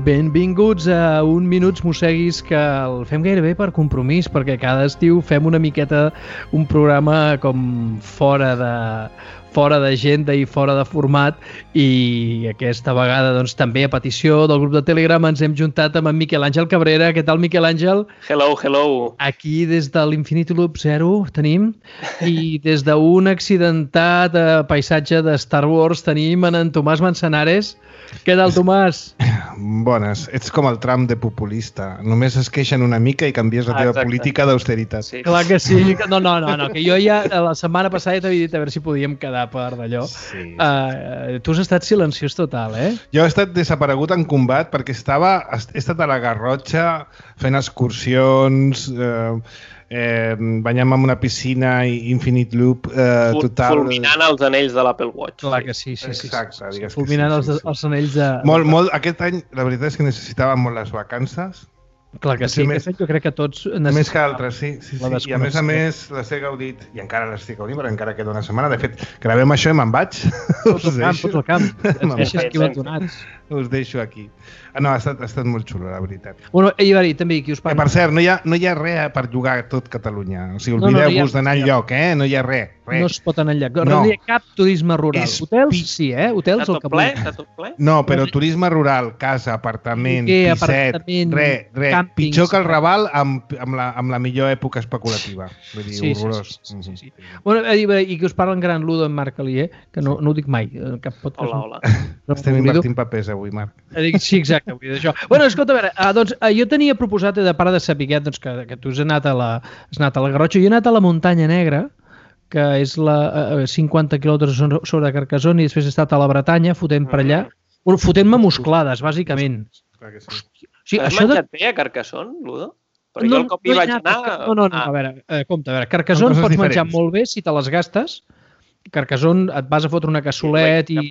Benvinguts a un Minuts Mosseguis que el fem gairebé per compromís, perquè cada estiu fem una miqueta un programa com fora d'agenda i fora de format, i aquesta vegada doncs, també a petició del grup de Telegram ens hem juntat amb en Miquel Àngel Cabrera. Què tal, Miquel Àngel? Hello, hello. Aquí des de l'Infinity Loop 0 tenim, i des d'un accidentat paisatge de Star Wars tenim en Tomàs Manzanares. Què tal, Tomàs? Bones. Ets com el Trump de populista. Només es queixen una mica i canvies la teva política d'austeritat. Sí. Clar que sí. No, que jo ja la setmana passada t'havia dit a veure si podíem quedar per d'allò. Sí. Tu has estat silenciós total, eh? Jo he estat desaparegut en combat perquè he estat a la Garrotxa fent excursions, banyant-me en una piscina Infinite Loop total. Fulminant els anells de l'Apple Watch. Clar que sí. Exacte, digues que fulminant els anells de... Molt, aquest any la veritat és que necessitàvem molt les vacances. Clar que sí, jo crec que tots... Més que altres, sí. I a més les he gaudit, i encara les estic gaudint, perquè encara queda una setmana. De fet, gravem això i me'n vaig. Fots al camp. Et deixes aquí abandonats. Us deixo aquí. No, ha estat molt xulo, la veritat. Bueno, i va dir, també, qui us parla? Per cert, no hi ha res per jugar a tot Catalunya. O sigui, oblideu-vos d'anar enlloc, eh? No hi ha res. No es pot anar enlloc. No hi ha cap turisme rural. Hotels, sí, eh? Hotels el que vulgui. Està tot ple? No, però turisme rural, casa, apartament, pisset, res. Pitjor que el Raval amb la millor època especulativa. Vull dir, horrorós. Sí. Bueno, i que us parla en gran Ludo, en Marc Alier, que no ho dic mai. Hola. Estem invertint papers avui, Marc. Sí, exacte, vull dir això. Bueno, escolta, a veure, doncs, jo tenia proposat, de part de saber que tu has anat a la Garrotxa, jo he anat a la Muntanya Negra, que és 50 quilòmetres sobre Carcassonne, i després he estat a la Bretanya, fotent per allà, fotent-me musclades, bàsicament. Has menjat bé a Carcassonne, Ludo? Perquè jo el cop hi vaig anar... No, a veure, Carcassonne pots menjar molt bé si te les gastes. Carcassonne et vas a fotre una cassolet i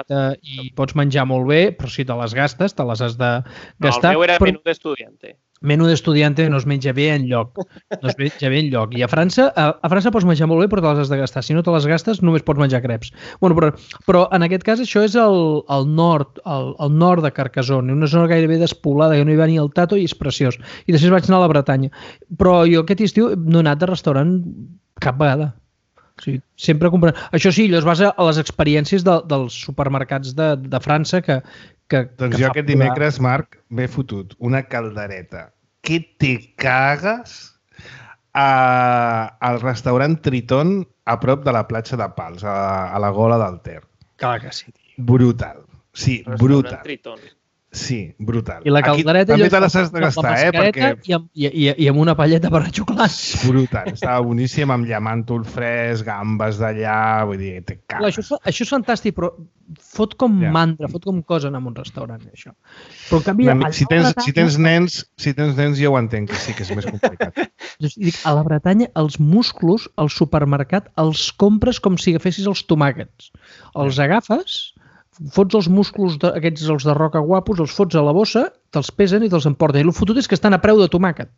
pots menjar molt bé, però si te les gastes, te les has de gastar. No, el meu era menú d'estudiante. Menú d'estudiante no es menja bé enlloc. I a França pots menjar molt bé, però te les has de gastar. Si no te les gastes, només pots menjar creps. Bueno, però en aquest cas això és al nord de Carcassonne, una zona gairebé despoblada, que no hi va ni el tato i és preciós. I després vaig anar a la Bretanya. Però jo aquest estiu no he anat de restaurant cap vegada. Sí, sempre comprant. Això sí, allò es basa a les experiències dels supermercats de França que doncs jo aquest dimecres, Marc, m'he fotut una caldereta que te cagues al restaurant Triton a prop de la platja de Pals, a la Gola del Ter. Clar que sí. Brutal. Sí, brutal. Triton. Sí, brutal. I la caldereta... També te les has de gastar, perquè... I amb una palleta per xuclar. Brutal. Estava boníssim, amb llamàntol fresc, gambes d'allà, vull dir, te cagues. Això és fantàstic, però fot com mandra, fot com cosa anar a un restaurant, això. Però en canvi... Si tens nens, jo ho entenc, que sí que és més complicat. A la Bretanya, els musclos, al supermercat, els compres com si agafessis els tomàquets. Els agafes... fots els músculs aquests, els de roca guapos, els fots a la bossa, te'ls pesen i te'ls emporten. I el fotut és que estan a preu de tomàquet.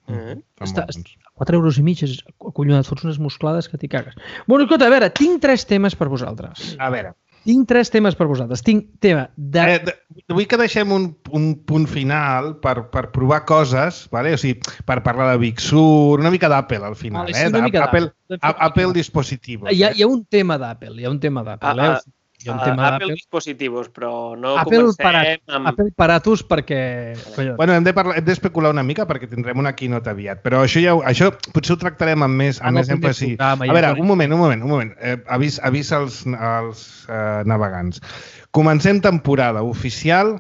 4,5 euros, és acollonat, fots unes musclades que t'hi cagues. Bueno, escolta, a veure, tinc 3 temes per vosaltres. A veure. Tinc 3 temes per vosaltres. Tinc tema de... Vull que deixem un punt final per provar coses, vale? O sigui, per parlar de Big Sur, una mica d'Apple al final. Apple dispositivos. Hi ha un tema d'Apple, Apple dispositivos, però no comencem amb... Apple Paratus perquè... Bueno, hem d'especular una mica perquè tindrem una keynote aviat, però això potser ho tractarem amb més èmfasi. A veure, un moment. Avís als navegants. Comencem temporada oficial,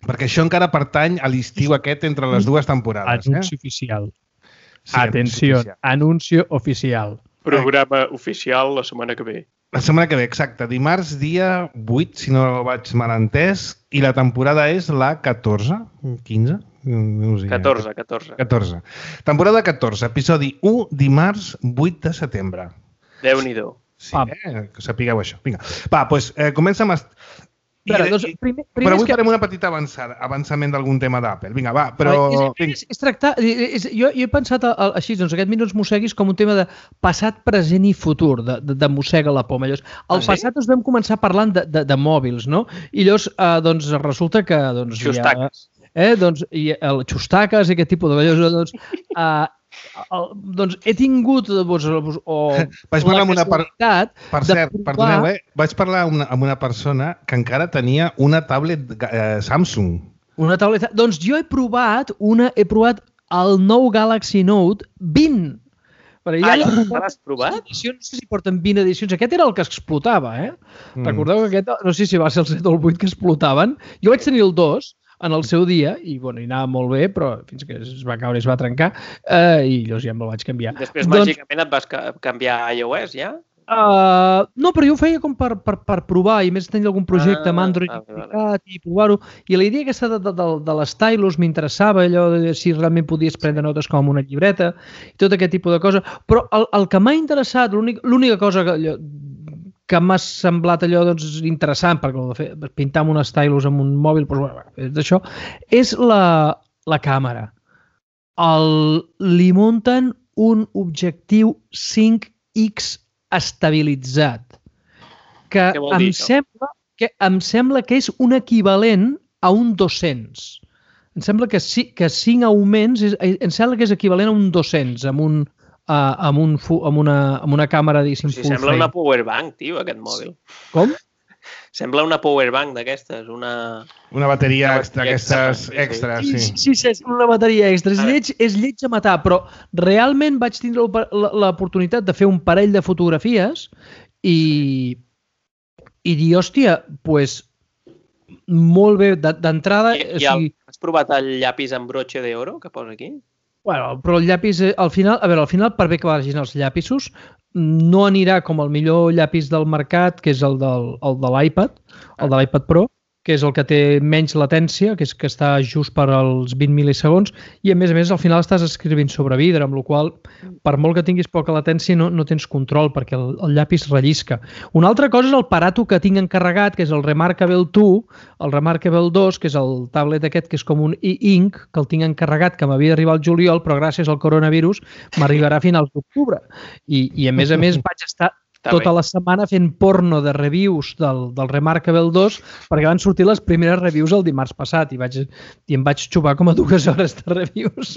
perquè això encara pertany a l'estiu aquest entre les dues temporades. Anunci oficial. Atenció, anuncio oficial. Programa oficial la setmana que ve. La setmana que ve, exacte. Dimarts, dia 8, si no vaig mal entès, i la temporada és la 14? 15? No sé. 14. Temporada 14, episodi 1, dimarts 8 de setembre. Déu-n'hi-do. Sí, que sapigueu això. Vinga. Va, doncs comença amb... Però avui farem una petita avançament d'algun tema d'Apple. Vinga, va, però... És tractar... Jo he pensat així, doncs aquest Minuts Mosseguis com un tema de passat, present i futur, de mossega la poma. Al passat ens vam començar parlant de mòbils, no? I llavors, doncs, resulta que... Xustaques. Doncs, xustaques i aquest tipus de... Doncs he tingut vaig parlar amb una per cert, perdoneu, vaig parlar amb una persona que encara tenia una tablet Samsung. Una tablet... Doncs jo he provat el nou Galaxy Note 20. Ja l'has provat? No sé si porten 20 edicions. Aquest era el que explotava, Recordeu que aquest, no sé si va ser el 7 o el 8 que explotaven. Jo vaig tenir el 2 en el seu dia, i bueno, hi anava molt bé, però fins que es va caure i es va trencar, i llavors ja me'l vaig canviar. Després, màgicament, et vas canviar a iOS, ja? No, però jo ho feia com per provar, i més tenir algun projecte amb Android i provar-ho. I la idea aquesta de l'Stylus m'interessava, allò de si realment podies prendre notes com una llibreta, i tot aquest tipus de cosa. Però el que m'ha interessat, l'única cosa que m'ha semblat allò interessant, perquè pintar amb un stylus amb un mòbil, d'això, és la càmera. Li munten un objectiu 5x estabilitzat, que em sembla que és un equivalent a un 200. Em sembla que 5 augments, em sembla que és equivalent a un 200, amb una càmera, diguéssim, full frame. Sembla una powerbank, tio, aquest mòbil. Com? Sembla una powerbank d'aquestes, una bateria d'aquestes extra, sí. Sí, una bateria extra. És lleig a matar, però realment vaig tindre l'oportunitat de fer un parell de fotografies i dir, hòstia, doncs molt bé, d'entrada... Has provat el llapis amb broche d'oro que posa aquí? Bueno, però el llapis, al final, per bé que vagin els llapisos, no anirà com el millor llapis del mercat, que és el de l'iPad, el de l'iPad Pro, que és el que té menys latència, que és que està just per als 20 mil·lisegons, i a més, al final estàs escrivint sobre vidre, amb la qual cosa, per molt que tinguis poca latència, no tens control, perquè el llapis rellisca. Una altra cosa és el aparato que tinc encarregat, que és el Remarkable 2, el Remarkable 2, que és el tablet aquest, que és com un e-ink, que el tinc encarregat, que m'havia d'arribar al juliol, però gràcies al coronavirus m'arribarà a finals d'octubre. I a més vaig estar tota la setmana fent porno de reviews del Remarkable 2 perquè van sortir les primeres reviews el dimarts passat i em vaig xupar com a 2 hores de reviews.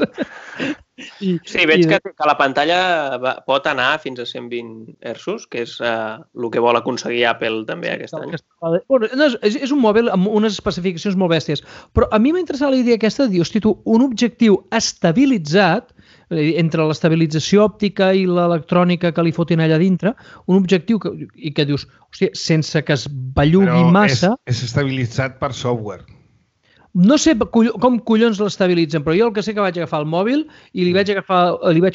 Sí, veig que la pantalla pot anar fins a 120 Hz, que és el que vol aconseguir Apple també aquest any. És un mòbil amb unes especificacions molt bèsties, però a mi m'ha interessat la idea aquesta de dir, hosti, tu, un objectiu estabilitzat, entre l'estabilització òptica i l'electrònica que li fotin allà dintre, un objectiu que dius, hòstia, sense que es bellugui massa... Però és estabilitzat per software. No sé com collons l'estabilitzen, però jo el que sé que vaig agafar el mòbil i li vaig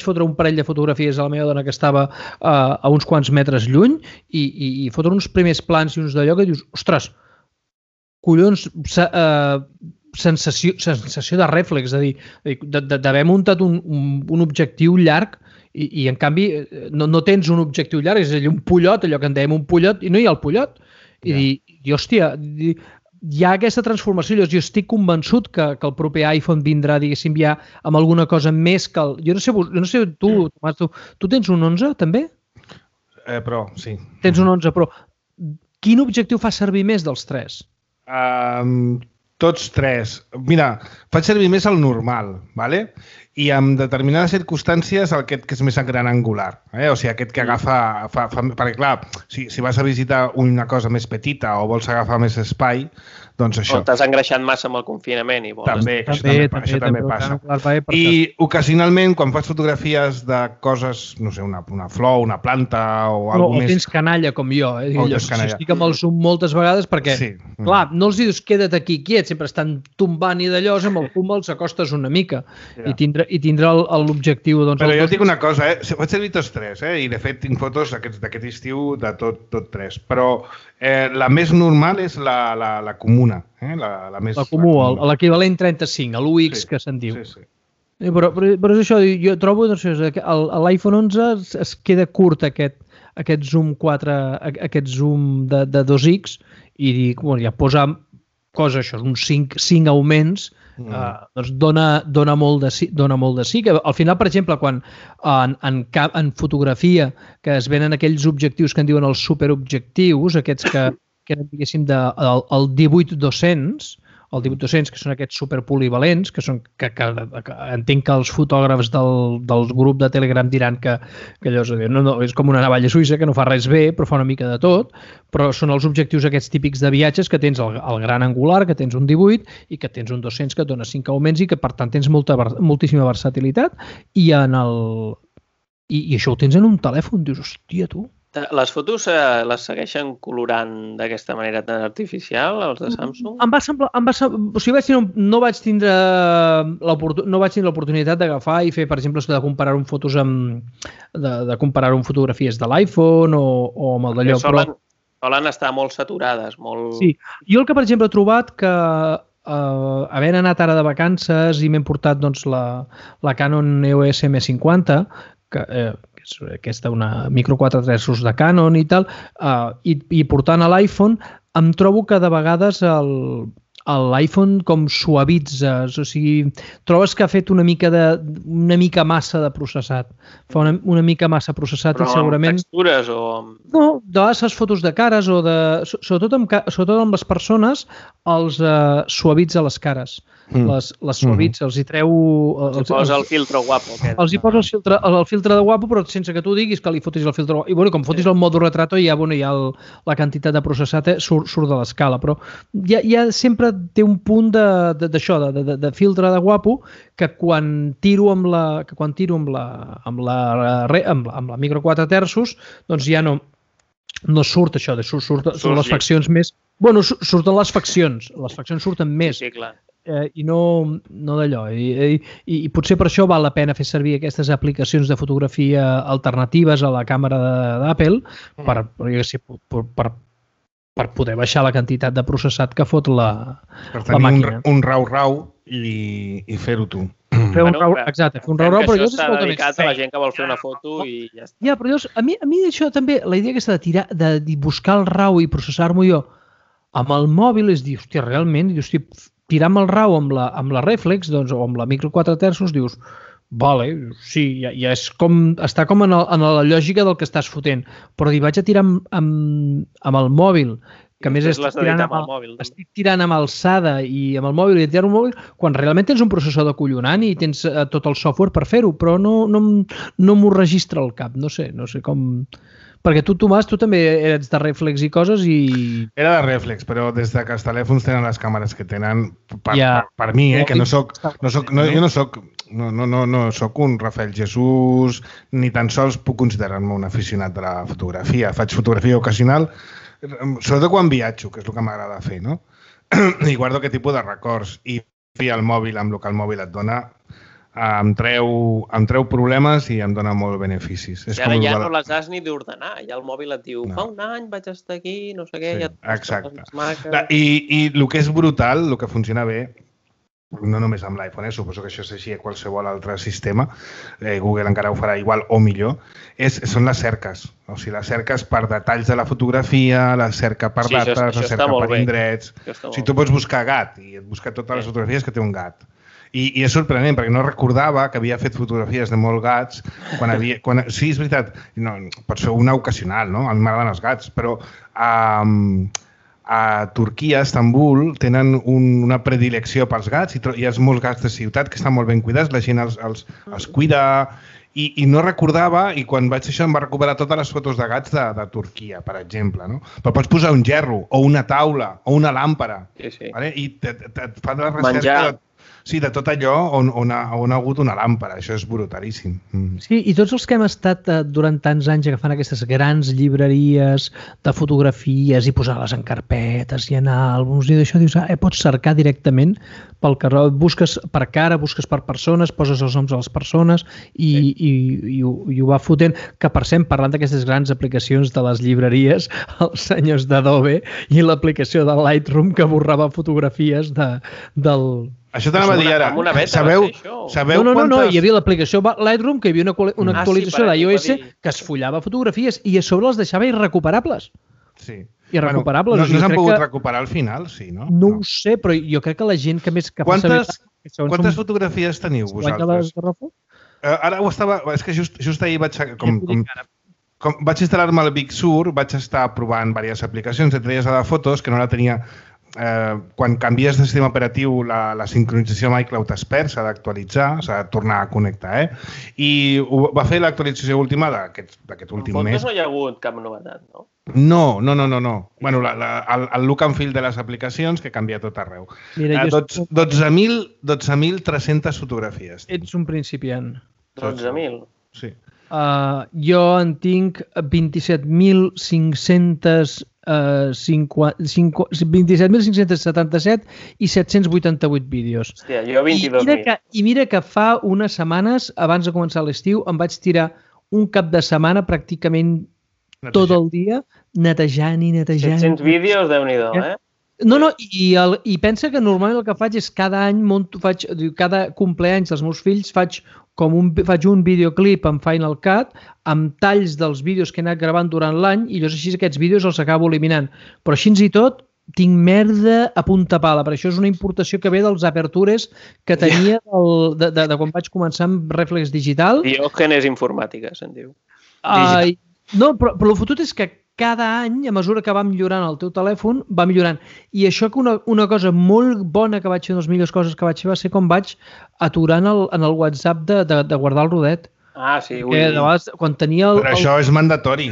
fotre un parell de fotografies a la meva dona que estava a uns quants metres lluny i fotre uns primers plans i uns d'allò que dius, ostres, collons... sensació de rèflex, és a dir, d'haver muntat un objectiu llarg i en canvi no tens un objectiu llarg, és a dir, un pollot, allò que en dèiem un pollot, i no hi ha el pollot. I dir, hòstia, hi ha aquesta transformació. Jo estic convençut que el proper iPhone vindrà, diguéssim, ja amb alguna cosa més que el... Jo no sé, tu, Tomàs, tu tens un 11, també? Pro, sí. Tens un 11 Pro. Quin objectiu fa servir més dels 3? Tots 3. Mira, faig servir més el normal, ¿vale? I en determinades circumstàncies aquest que és més gran angular. O sigui, aquest que agafa... Perquè, clar, si vas a visitar una cosa més petita o vols agafar més espai, doncs això. O t'has engreixat massa amb el confinament i vols... Això també passa. I ocasionalment, quan fas fotografies de coses, no sé, una flor, una planta o alguna més... O tens canalla, com jo. Estic amb el zoom moltes vegades perquè, clar, no els dius queda't aquí quiet, sempre estan tombant i d'allò, amb el fum els acostes una mica i tindrà l'objectiu... Però jo et dic una cosa, faig servir tots 3, i de fet tinc fotos d'aquest estiu de tot 3, però la més normal és la comuna. La comú, l'equivalent 35, l'UX que se'n diu. Sí. Però és això, jo trobo que l'iPhone 11 es queda curt aquest zoom 4, aquest zoom de 2x i dic, ja posa coses, això, uns 5 augments, doncs dona molt de sí. Que al final, per exemple, quan en fotografia que es venen aquells objectius que en diuen els superobjectius, aquests que eren, diguéssim, el 18-200, que són aquests superpolivalents, que entenc que els fotògrafs del grup de Telegram diran que allò és com una navalla suïssa, que no fa res bé, però fa una mica de tot, però són els objectius aquests típics de viatges, que tens el gran angular, que tens un 18, i que tens un 200 que et dona 5 augments i que, per tant, tens moltíssima versatilitat, i això ho tens en un telèfon, dius, hòstia, tu. Les fotos les segueixen colorant d'aquesta manera tan artificial, els de Samsung? Em va semblar, o sigui, no vaig tindre l'oportunitat d'agafar i fer, per exemple, de comparar fotos de comparar fotografies de l'iPhone o amb el d'allò. Solen estar molt saturades, molt... Sí, jo el que, per exemple, he trobat que havent anat ara de vacances i m'he portat la Canon EOS M50, que és aquesta una micro 4 terços de Canon i tal, i portant a l'iPhone, em trobo que de vegades l'iPhone com suavitza, o sigui, trobes que ha fet una mica massa de processat. Fa una mica massa processat. Però i segurament... amb textures o... No, de vegades fotos de cares o sobretot amb les persones els suavitza les cares. Les suavitza, els hi treu... Els posa el filtre guapo. Els hi posa el filtre de guapo, però sense que tu diguis que li fotis el filtre guapo. I com fotis el modo retrato, ja la quantitat de processat surt de l'escala, però ja sempre té un punt d'això, de filtre de guapo, que quan tiro amb la micro 4 terços, doncs ja no surt això, surten les faccions més... Bueno, surten les faccions surten més. Sí, clar. I no d'allò. I potser per això val la pena fer servir aquestes aplicacions de fotografia alternatives a la càmera d'Apple per poder baixar la quantitat de processat que fot la màquina. Per tenir un rau i fer-ho tu. Exacte, fer un rau, però això està dedicat a la gent que vol fer una foto i ja està. Ja, però a mi això també, la idea aquesta de buscar el rau i processar-m'ho jo amb el mòbil és dir, hòstia, realment, tirar amb el rau amb la reflex o amb la micro 4 terços, dius, vale, sí, ja és està com en la lògica del que estàs fotent, però dir, vaig a tirar amb el mòbil, que a més estic tirant amb alçada i amb el mòbil i tirar un mòbil, quan realment tens un processor acollonant i tens tot el software per fer-ho, però no m'ho registra al cap, no sé com... Perquè tu, Tomàs, tu també eres de reflex i coses i... Era de reflex, però des que els telèfons tenen les càmeres que tenen, per mi, que no soc un Rafael Jesús, ni tan sols puc considerar-me un aficionat de la fotografia. Faig fotografia ocasional, sobretot quan viatjo, que és el que m'agrada fer, no? I guardo aquest tipus de records. I el mòbil, amb el que el mòbil et dona, em treu problemes i em dona molt beneficis. I ara ja no les has ni d'ordenar. Ja el mòbil et diu, fa un any vaig estar aquí, no sé què, ja et exacte. I el que és brutal, el que funciona bé, no només amb l'iPhone, suposo que això és així a qualsevol altre sistema, Google encara ho farà igual o millor, són les cerques. O sigui, les cerques per detalls de la fotografia, la cerca per dates, la cerca per indrets. O sigui, tu pots buscar gat i et busca totes les fotografies que té un gat. I és sorprenent, perquè no recordava que havia fet fotografies de molts gats sí, és veritat, pot ser una ocasional, no? A mi m'agraden els gats, però a Turquia, a Estambul, tenen una predilecció pels gats i hi ha molts gats de ciutat que estan molt ben cuidats, la gent els cuida i no recordava, i quan vaig fer això em va recuperar totes les fotos de gats de Turquia, per exemple, no? Però pots posar un gerro, o una taula, o una làmpara, vale? I et fa la recerca de tot allò on ha hagut una làmpara. Això és brutalíssim. Sí, i tots els que hem estat durant tants anys agafant aquestes grans llibreries de fotografies i posar-les en carpetes i en àlbums i d'això, dius, pots cercar directament pel carrer, busques per cara, busques per persones, poses els noms de les persones i ho va fotent. Que, per cert, parlant d'aquestes grans aplicacions de les llibreries, els senyors d'Adobe i l'aplicació de Lightroom que borrava fotografies del Això t'anava a dir ara. Amb una beta, sabeu no, hi havia l'aplicació Lightroom, que hi havia una actualització d'iOS que es follava fotografies i a sobre les deixava irrecuperables. Sí. Irrecuperables. No s'han pogut recuperar al final, sí, no? No ho sé, però jo crec que la gent que més... Quantes fotografies teniu vosaltres? Ara ho estava... És que just ahir vaig... Com vaig instal·lar-me el Big Sur, vaig estar provant diverses aplicacions, entre elles la de fotos, que no la tenia... Quan canvies de sistema operatiu, la sincronització amb iCloud es perd, s'ha d'actualitzar, s'ha de tornar a connectar, I va fer l'actualització última d'aquest últim mes. En fotos no hi ha hagut cap novetat, no? No. Bueno, el look and feel de les aplicacions, que canvia tot arreu. 12.300 fotografies. Ets un principiant. 12.000? Sí. Jo en tinc 27.577 i 788 vídeos. Hòstia, jo 22.000. I mira que fa unes setmanes, abans de començar l'estiu, em vaig tirar un cap de setmana pràcticament tot el dia netejant. 700 vídeos, Déu-n'hi-do, No, i pensa que normalment el que faig és cada any, cada compleanys dels meus fills faig un videoclip en Final Cut amb talls dels vídeos que he anat gravant durant l'any i llavors així aquests vídeos els acabo eliminant. Però així i tot tinc merda a punta pala, per això és una importació que ve dels apertures que tenia de quan vaig començar amb Reflex Digital. Diògenes informàtica, se'n diu. No, però el fotut és que cada any, a mesura que va millorant el teu telèfon, va millorant. I això que una cosa molt bona que vaig fer, una de les millors coses que vaig fer, va ser com vaig aturar en el WhatsApp de guardar el rodet. Sí. Quan tenia però això és mandatori.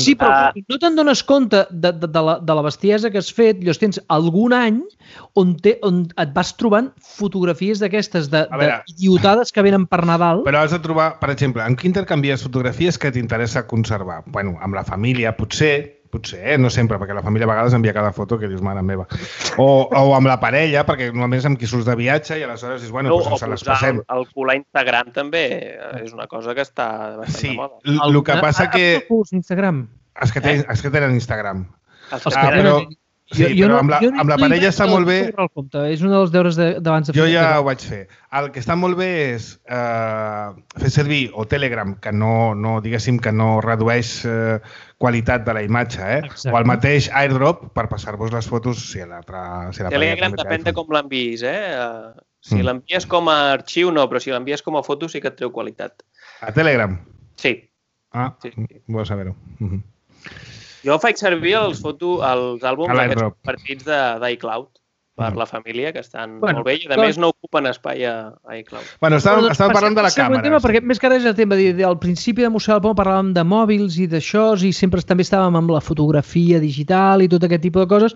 Sí, però no te'n dones compte de la bestiesa que has fet. Llavors tens algun any on et vas trobant fotografies d'aquestes idiotades que venen per Nadal. Però has de trobar, per exemple, en què intercanvies fotografies que t'interessa conservar? Bueno, amb la família, potser, no sempre, perquè la família a vegades envia cada foto que dius, mare meva. O amb la parella, perquè normalment és amb qui surts de viatge i aleshores dius, bueno, doncs se les passem. El colar Instagram també és una cosa que està bastant de moda. Sí, el que passa que... Instagram? Els que tenen Instagram. Sí, però amb la parella està molt bé... És un dels deures d'abans de fer. Jo ja ho vaig fer. El que està molt bé és fer servir o Telegram, que no diguéssim que no redueix qualitat de la imatge, o el mateix AirDrop per passar-vos les fotos si la Telegram depèn de com l'envies, Si l'envies com a arxiu no, però si l'envies com a foto sí que et treu qualitat. A Telegram? Sí. Vull saber-ho. Jo faig servir els àlbums aquests compartits d'iCloud per la família, que estan molt bé i a més no ocupen espai a iCloud. Bueno, estàvem parlant de la càmera. Perquè més que res el tema, al principi de Museu del Pont parlàvem de mòbils i d'això i sempre també estàvem amb la fotografia digital i tot aquest tipus de coses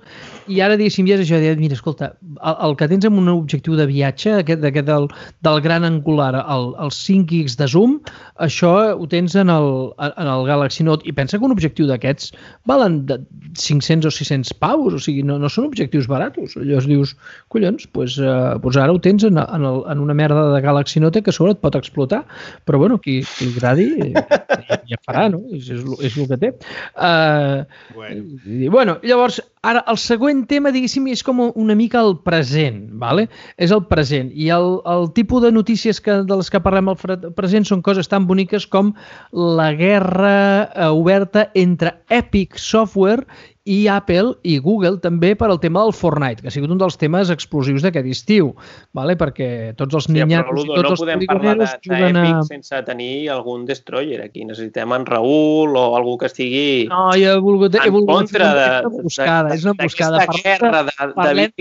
i ara diguéssim ja és això, mira, escolta, el que tens amb un objectiu de viatge, del gran angular, el 5x de zoom, això ho tens en el Galaxy Note i pensa que un objectiu d'aquests valen 500 o 600 paus, o sigui, no són objectius baratos. Llavors dius, collons, doncs ara ho tens en una merda de Galaxy Note que a sobre et pot explotar, però bueno, qui li agradi ja farà, no? És el que té. Bueno, llavors, ara el següent tema, diguéssim, és com una mica el present, ¿vale? És el present, i el tipus de notícies de les que parlem al present són coses tan boniques com la guerra oberta entre Epic Software i Apple i Google també per al tema del Fortnite, que ha sigut un dels temes explosius d'aquest estiu, perquè tots els niñatos i tots els poligoneros juguen a... No podem parlar d'Epic sense tenir algun destroyer aquí. Necessitem en Raül o algú que estigui en contra d'aquesta guerra de Vic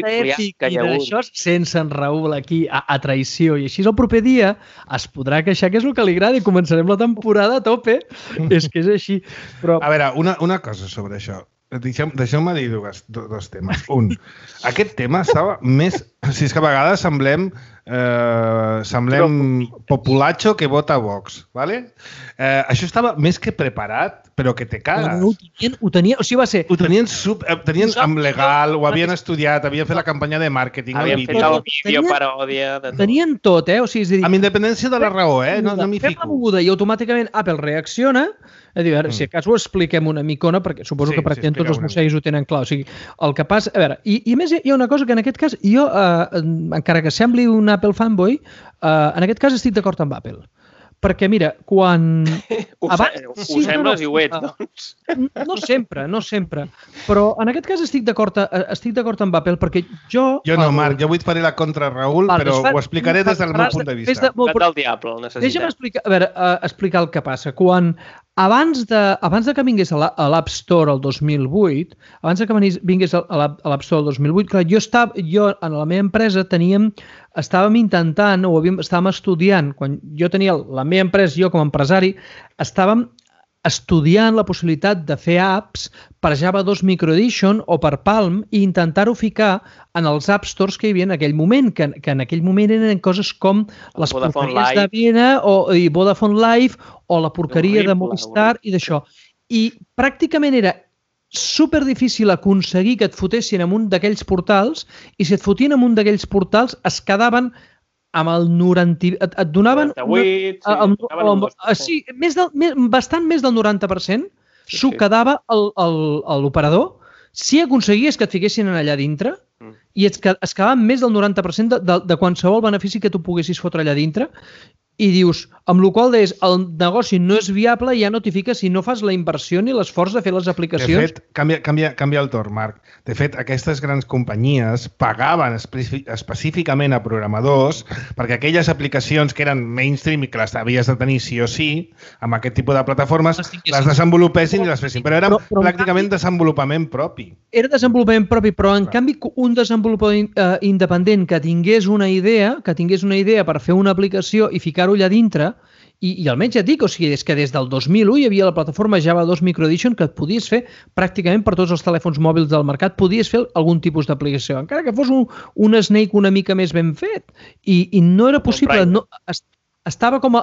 que hi ha hagut. D'això sense en Raül aquí a traïció. I així el proper dia es podrà queixar que és el que li agrada i començarem la temporada a tope. És que és així. A veure, una cosa sobre això. Deixeu-me dir dos temes. Un, aquest tema estava més... Si és que a vegades semblem populacho que vota Vox, ¿vale? Això estava més que preparat, però que te cagues. Ho tenien, o sigui, va ser... Ho tenien amb legal, ho havien estudiat, havien fet la campanya de màrqueting, havien fet el vídeo paròdia... Tenien tot, o sigui, és a dir... Amb independència de la raó, no m'hi fico. Fem la moguda i automàticament Apple reacciona. És a dir, si a cas ho expliquem una micona, perquè suposo que pràcticament tots els museus ho tenen clar. O sigui, el que passa... A veure, i a més hi ha una cosa que en aquest cas jo encara que sembli un Apple fanboy, en aquest cas estic d'acord amb Apple. Perquè, mira, quan... Ho sembles i ho ets, doncs. No sempre. Però en aquest cas estic d'acord amb Apple perquè jo... Jo no, Marc, jo avui et faré la contra Raül, però ho explicaré des del meu punt de vista. Del diable, el necessitem. Deixa'm explicar el que passa. Quan abans de que vingués a l'App Store el 2008, clar, jo en la meva empresa estàvem intentant, estàvem estudiant, quan jo tenia la meva empresa, jo com a empresari, estàvem estudiant la possibilitat de fer apps per Java 2 Micro Edition o per Palm i intentar-ho ficar en els App Stores que hi havia en aquell moment, que en aquell moment eren coses com les porqueries de Viena i Vodafone Live o la porqueria de Movistar i d'això. I pràcticament era super difícil aconseguir que et fotessin en un d'aquells portals i si et fotien en un d'aquells portals es quedaven amb el 90... Et donaven... 98, sí, bastant més del 90% s'ho quedava l'operador si aconseguies que et fiquessin allà dintre i es quedaven més del 90% de qualsevol benefici que tu poguessis fotre allà dintre i dius, amb la qual cosa el negoci no és viable i ja no t'hi fiques si no fas la inversió ni l'esforç de fer les aplicacions. De fet, canvia el torn, Marc. De fet, aquestes grans companyies pagaven específicament a programadors perquè aquelles aplicacions que eren mainstream i que les havies de tenir sí o sí, amb aquest tipus de plataformes, les desenvolupessin i les fessin. Però era pràcticament desenvolupament propi. Era desenvolupament propi, però en canvi un desenvolupador independent que tingués una idea per fer una aplicació i ficar allà dintre, i almenys ja et dic, o sigui, és que des del 2001 hi havia la plataforma Java 2 Micro Edition que et podies fer pràcticament per tots els telèfons mòbils del mercat, podies fer algun tipus d'aplicació, encara que fos un Snake una mica més ben fet. I no era possible, estava com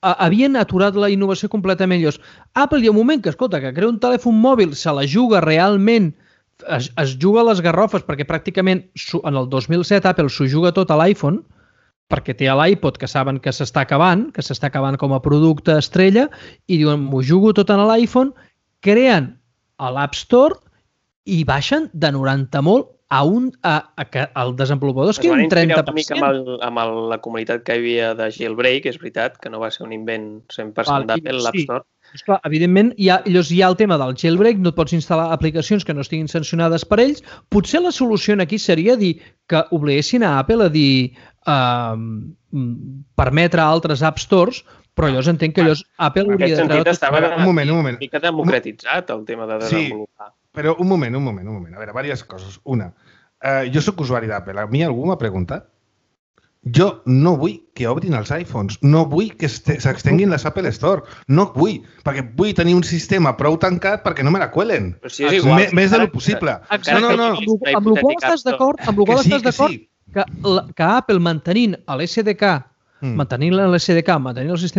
havien aturat la innovació completament. Apple hi ha un moment que, escolta, que crea un telèfon mòbil, se la juga realment, es juga a les garrofes, perquè pràcticament en el 2007 Apple s'ho juga tot a l'iPhone, perquè té l'iPod que saben que s'està acabant com a producte estrella i diuen, m'ho jugo tot en l'iPhone, creen a l'App Store i baixen de 90 molt al desenvolupador és que un 30%. Una mica amb la comunitat que hi havia de Jailbreak, és veritat, que no va ser un invent 100% d'Apple, l'App Store. Esclar, evidentment, hi ha el tema del jailbreak, no et pots instal·lar aplicacions que no estiguin sancionades per ells. Potser la solució aquí seria dir que obliguessin a Apple a dir permetre a altres App Stores, però llavors entenc que Apple hauria de... En aquest sentit estava una mica democratitzat el tema de desenvolupar. Sí, però un moment. A veure, diverses coses. Una, jo soc usuari d'Apple. A mi algú m'ha preguntat. Jo no vull que obrin els iPhones, no vull que s'extenguin les Apple Store, no vull, perquè vull tenir un sistema prou tancat perquè no me la cuelen. Si és igual, més de lo possible. No. Amb el qual estàs d'acord que Apple mantenint l'SDK, mantenint el sistema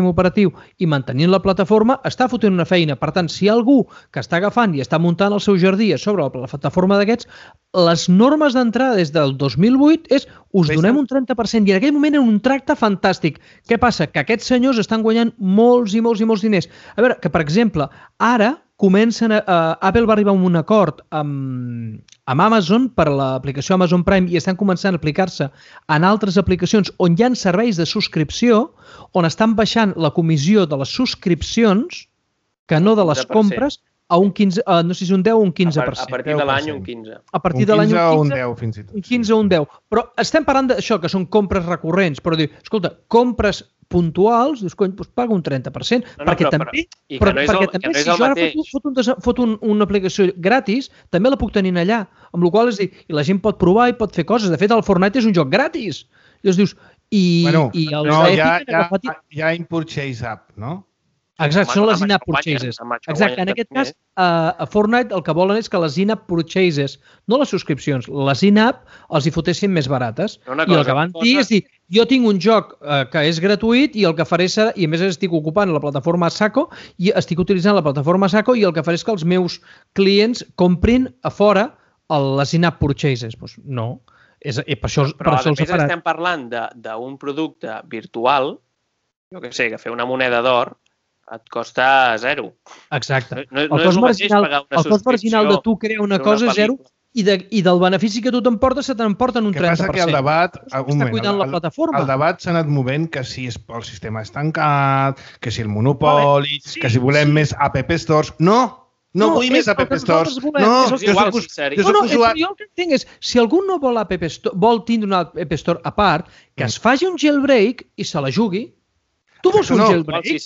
operatiu i mantenint la plataforma, està fotent una feina. Per tant, si hi ha algú que està agafant i està muntant el seu jardí a sobre la plataforma d'aquests, les normes d'entrada des del 2008 és us donem un 30% i en aquell moment era un tracte fantàstic. Què passa? Que aquests senyors estan guanyant molts i molts diners. A veure, que per exemple, ara Apple va arribar a un acord amb Amazon per l'aplicació Amazon Prime i estan començant a aplicar-se en altres aplicacions on hi ha serveis de subscripció, on estan baixant la comissió de les subscripcions que no de les compres a un 15, no sé si un 10 o un 15%. A partir de l'any un 15. A partir de l'any un 10 fins i tot. Un 15 o un 10. Però estem parlant d'això, que són compres recurrents, però diu, escolta, compres puntuals, dius, cony, doncs paga un 30%, perquè també si jo ara foto una aplicació gratis, també la puc tenir allà, amb la qual cosa és dir, i la gent pot provar i pot fer coses. De fet, el Fortnite és un joc gratis. I llavors dius, hi ha in-purchase app, no? Exacte, són les in-app purchases. Exacte, en aquest cas, a Fortnite el que volen és que les in-app purchases, no les subscripcions, les in-app els hi fotessin més barates. I el que van dir és dir, jo tinc un joc que és gratuït i el que faré serà, i a més estic ocupant la plataforma Saco, i estic utilitzant la plataforma Saco i el que faré és que els meus clients comprin a fora les in-app purchases. Doncs no. Però a més estem parlant d'un producte virtual, jo què sé, que fer una moneda d'or, et costa 0. Exacte. No és el mateix pagar una subscripció. El cost marginal de tu crear una cosa és 0 I del benefici que tu t'emportes, se t'emporten un 30%. Que passa que el debat... Està cuidant la plataforma. El debat s'ha anat movent que si el sistema és tancat, que si el monopoli, que si volem més App Stores... No vull més App Stores. Jo el que entenc és, si algú no vol vol tindre una App Store a part, que es faci un jailbreak i se la jugui. Tu vols un jailbreak? Et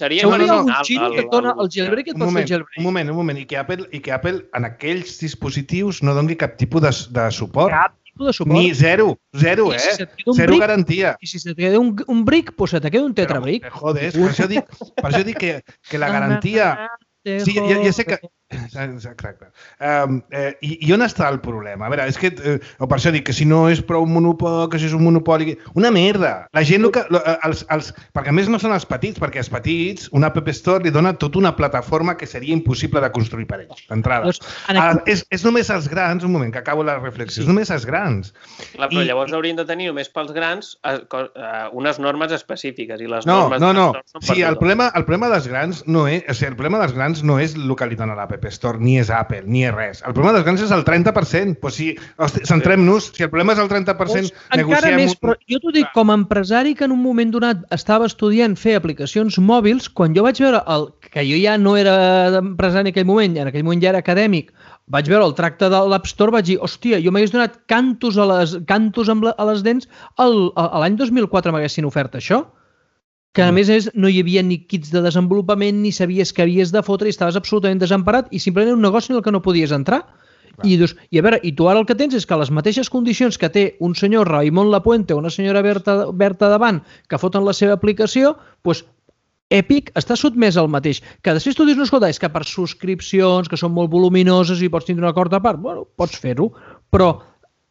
dona el jailbreak i et pots fer el jailbreak. Un moment. I que Apple en aquells dispositius no doni cap tipus de suport. Cap tipus de suport. Ni zero, zero garantia. I si se't queda un brick, doncs se te queda un tetrabrick. Joder, per això dic que la garantia... Sí, ja sé que... Exacte. I on està el problema? A veure, és que... O per això dic que si no és prou monopoli, que si és un monopoli... Una merda! La gent... Perquè a més no són els petits, perquè els petits, una App Store li dona tota una plataforma que seria impossible de construir per ells, d'entrada. És només els grans, un moment, que acabo la reflexió, és només els grans. Clar, però llavors haurien de tenir només pels grans unes normes específiques i les normes... No. Sí, el problema dels grans no és... O sigui, el problema dels grans no és el que li dona l'App Store, ni és Apple, ni és res. El problema dels grans és el 30%. Pues si centrem-nos, si el problema és el 30%, encara més, però jo t'ho dic, com a empresari que en un moment donat estava estudiant fer aplicacions mòbils, quan jo vaig veure que jo ja no era empresari en aquell moment ja era acadèmic, vaig veure el tracte de l'App Store, vaig dir, hòstia, jo m'hagués donat cantos a les dents l'any 2004 m'haguessin ofert això. Que a més no hi havia ni kits de desenvolupament, ni sabies que havies de fotre i estaves absolutament desemparat i simplement un negoci en el que no podies entrar. I a veure, i tu ara el que tens és que les mateixes condicions que té un senyor Raimon Lapuente o una senyora Berta Davant que foten la seva aplicació, doncs Epic està sotmès al mateix. Que després tu dius, no, escolta, és que per subscripcions, que són molt voluminoses i pots tindre un acord a part, bueno, pots fer-ho, però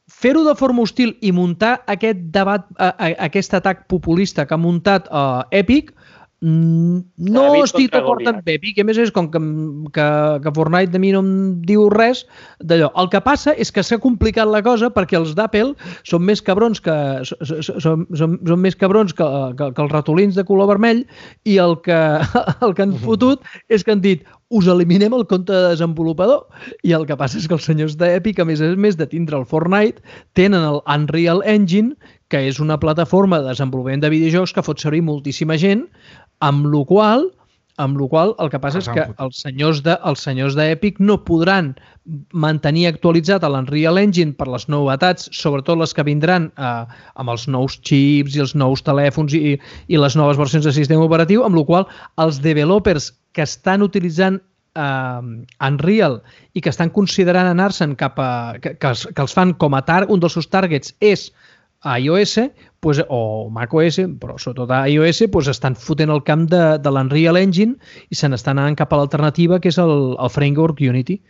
fer-ho de forma hostil i muntar aquest debat, aquest atac populista que ha muntat Epic, no estic d'acord amb Epic. A més, és com que Fortnite de mi no em diu res d'allò. El que passa és que s'ha complicat la cosa perquè els d'Apple són més cabrons que els ratolins de color vermell i el que han fotut és que han dit us eliminem el compte de desenvolupador. I el que passa és que els senyors d'Epic, a més de tindre el Fortnite, tenen el Unreal Engine, que és una plataforma de desenvolupament de videojocs que fot servir moltíssima gent, amb la qual el que passa és que els senyors d'Epic no podran mantenir actualitzat l'Unreal Engine per les novetats, sobretot les que vindran amb els nous xips i els nous telèfons i les noves versions de sistema operatiu, amb la qual els developers que estan utilitzant Unreal i que estan considerant anar-se'n cap a... que els fan com a un dels seus targets és iOS o macOS, però sobretot iOS, estan fotent el camp de l'Unreal Engine i se n'estan anant cap a l'alternativa que és el framework Unity.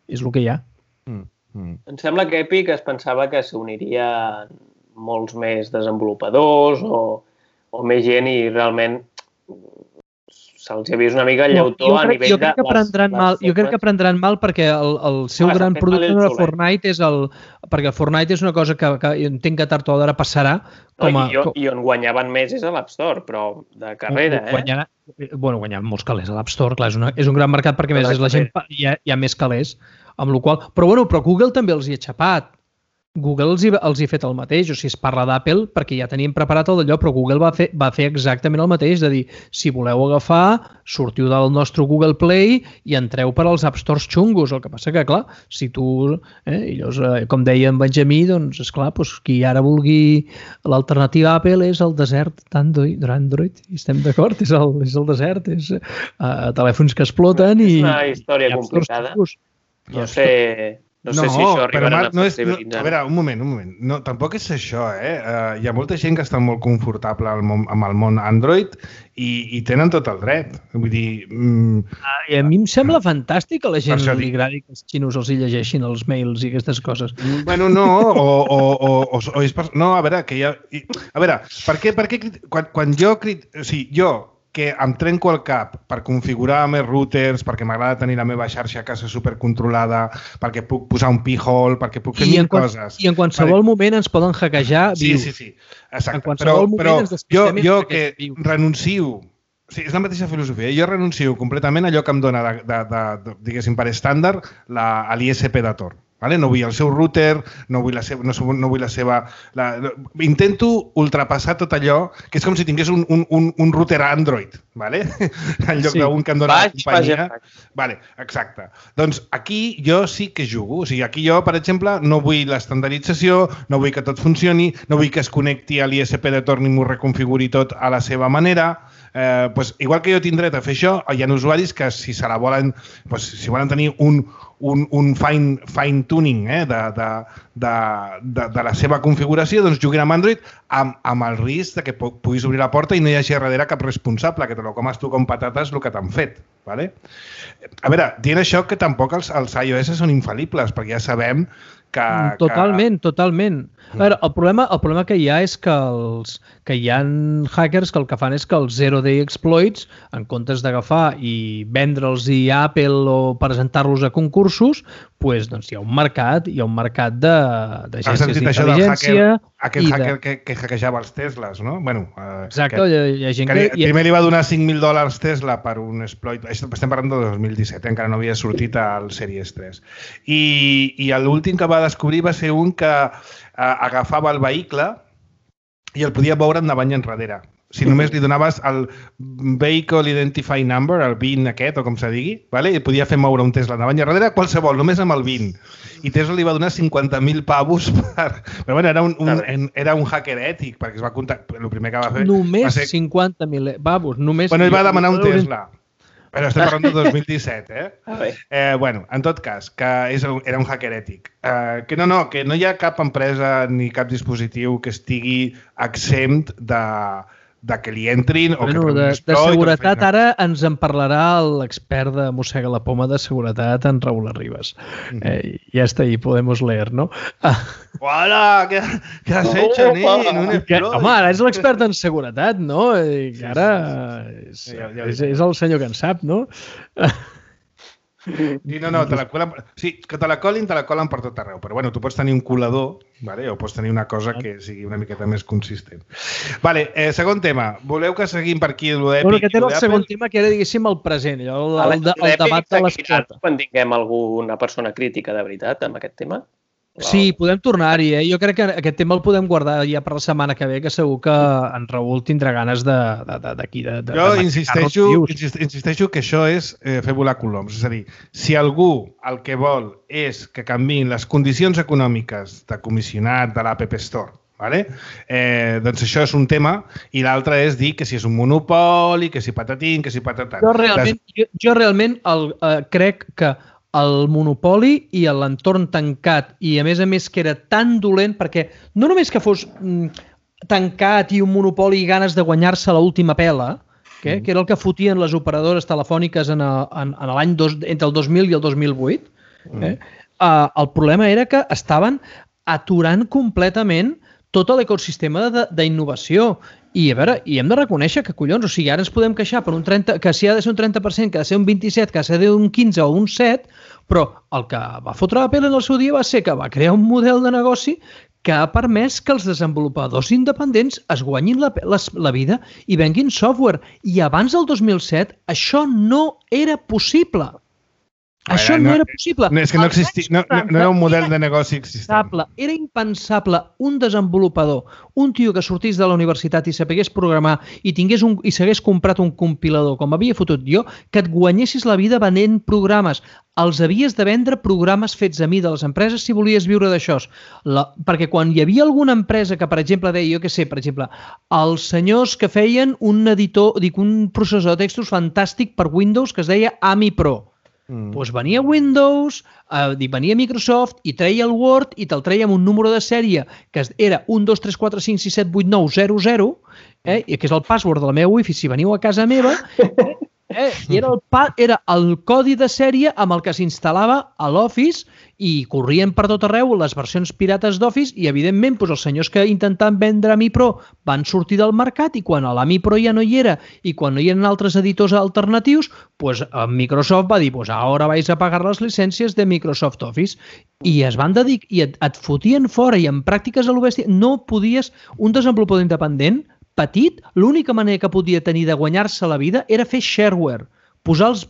És el que hi ha. Em sembla que Epic es pensava que s'uniria molts més desenvolupadors o més gent i realment se'ls ha vist una mica el llautó a nivell de... Jo crec que prendran mal perquè el seu gran producte de Fortnite és perquè el Fortnite és una cosa que entenc que tard o d'ara passarà i on guanyaven més és a l'App Store, però de carrera, guanyaven molts calés a l'App Store, clar, és un gran mercat perquè més la gent hi ha més calés, amb la qual... Però Google també els hi ha xapat. Google els hi ha fet el mateix, o sigui, es parla d'Apple perquè ja teníem preparat el d'allò, però Google va fer exactament el mateix, de dir, si voleu agafar, sortiu del nostre Google Play i entreu per als App Stores xungos. El que passa que, clar, si tu, com deia en Benjamí, doncs, esclar, qui ara vulgui l'alternativa a Apple és el desert d'Android, i estem d'acord, és el desert, és telèfons que exploten i... És una història complicada. No sé si això arribarà a flexibilitzar. A veure, un moment. No, tampoc és això, Hi ha molta gent que està molt confortable amb el món Android i tenen tot el dret. Vull dir... A mi em sembla fantàstic que a la gent li agradi que els xinos els hi llegeixin els mails i aquestes coses. Bueno, no, o és... No, a veure, que hi ha... A veure, per què quan jo... O sigui, jo que em trenco el cap per configurar més routers, perquè m'agrada tenir la meva xarxa a casa supercontrolada, perquè puc posar un pi-hole, perquè puc fer mil coses. I en qualsevol moment ens poden hackejar vius. Sí. Exacte. Però jo que renuncio... Sí, és la mateixa filosofia. Jo renuncio completament a allò que em dona, diguéssim, per estàndard, l'ISP de Tor. Vale? No vull el seu router, no vull la seva... Intento ultrapassar tot allò, que és com si tingués un router Android, vale? En lloc d'un que em dona la companyia. Vale, exacte. Doncs aquí jo sí que jugo. O sigui, aquí jo, per exemple, no vull l'estandardització, no vull que tot funcioni, no vull que es connecti a l'ISP de torn i m'ho reconfiguri tot a la seva manera. Igual que jo tinc dret a fer això, hi ha usuaris que si se la volen, si volen tenir un fine tuning de la seva configuració, doncs juguin amb Android amb el risc que puguis obrir la porta i no hi hagi darrere cap responsable, que te lo comes tu com patates el que t'han fet. Vale? A veure, dient això que tampoc els iOS són infal·libles, perquè ja sabem que... Totalment. A veure, el problema que hi ha és que hi ha hackers que el que fan és que els zero-day exploits, en comptes d'agafar i vendre'ls a Apple o presentar-los a concursos, doncs hi ha un mercat d'agències d'intel·ligència. Aquest hacker que hackejava els Teslas, no? Exacte, hi ha gent que... Primer li va donar $5.000 Tesla per un exploit. Estem parlant de 2017, encara no havia sortit al Series 3. I l'últim que va descobrir va ser un que agafava el vehicle i el podia veure endavant i enrere. Si només li donaves el Vehicle Identify Number, el VIN aquest, o com se digui, i podia fer moure un Tesla endavant i enrere, qualsevol, només amb el VIN. I Tesla li va donar 50.000 pavos per... Però bueno, era un hacker ètic, perquè es va comptar... El primer que va fer... Només 50.000 pavos, només... Bueno, ell va demanar un Tesla. Però estem parlant de 2017, en tot cas, que era un hacker ètic. Que no hi ha cap empresa ni cap dispositiu que estigui exempt de que li entrin o que de seguretat ara ens en parlarà l'expert de Mossega la Poma de seguretat, en Raúl Arribas. Ya está ahí, podemos leer, ¿no? Hola, ¿qué has hecho, nen? Home, ara és l'expert en seguretat, no? Ara és el senyor que en sap, no? No, te la colen... Sí, que te la colen per tot arreu. Però bueno, tu pots tenir un colador, o pots tenir una cosa que sigui una miqueta més consistent. Segon tema. Voleu que seguim per aquí l'Epic? Bueno, aquest era el segon tema, que era, diguéssim, el present, el debat de l'esclata. Quan tinguem alguna persona crítica de veritat amb aquest tema? Sí, podem tornar-hi. Jo crec que aquest tema el podem guardar ja per la setmana que ve, que segur que en Raül tindrà ganes d'aquí. Jo insisteixo que això és fer volar coloms. És a dir, si algú el que vol és que canviïn les condicions econòmiques de comissionat de l'App Store, doncs això és un tema, i l'altre és dir que si és un monopoli, que si patatín, que si patatat. Jo realment crec que el monopoli i l'entorn tancat, i a més que era tan dolent, perquè no només que fos tancat i un monopoli i ganes de guanyar-se l'última pela, que era el que fotien les operadores telefòniques l'any entre el 2000 i el 2008, el problema era que estaven aturant completament tot l'ecosistema d'innovació. I a veure, hem de reconèixer que, collons, o sigui, ara ens podem queixar per un 30%, que si ha de ser un 30%, que ha de ser un 27%, que ha de ser un 15% o un 7%, però el que va fotre Apple en el seu dia va ser que va crear un model de negoci que ha permès que els desenvolupadors independents es guanyin la vida i venguin software. I abans del 2007 això no era possible. Això no era possible. És que no existia, no era un model de negoci existent. Era impensable un desenvolupador, un tio que sortís de la universitat i sapigués programar i s'hagués comprat un compilador, com havia fotut jo, que et guanyessis la vida venent programes. Els havies de vendre programes fets a mi de les empreses si volies viure d'això. Perquè quan hi havia alguna empresa que, per exemple, deia, jo què sé, per exemple, els senyors que feien un processor de textos fantàstic per Windows que es deia AMI Pro. Doncs venia Windows, venia Microsoft i treia el Word i te'l treia amb un número de sèrie que era 1, 2, 3, 4, 5, 6, 7, 8, 9, 0, 0, que és el password de la meva Wi-Fi si veniu a casa meva, i era el codi de sèrie amb el que s'instal·lava a l'Office i corrien per tot arreu les versions pirates d'Office i, evidentment, els senyors que intentaven vendre AMI Pro van sortir del mercat i quan l'AMI Pro ja no hi era i quan no hi eren altres editors alternatius, Microsoft va dir, ara vais a pagar les llicències de Microsoft Office i es van dedicar i et fotien fora i en pràctiques a l'obèstia no podies, un desenvolupador independent petit, l'única manera que podia tenir de guanyar-se la vida era fer shareware, posar el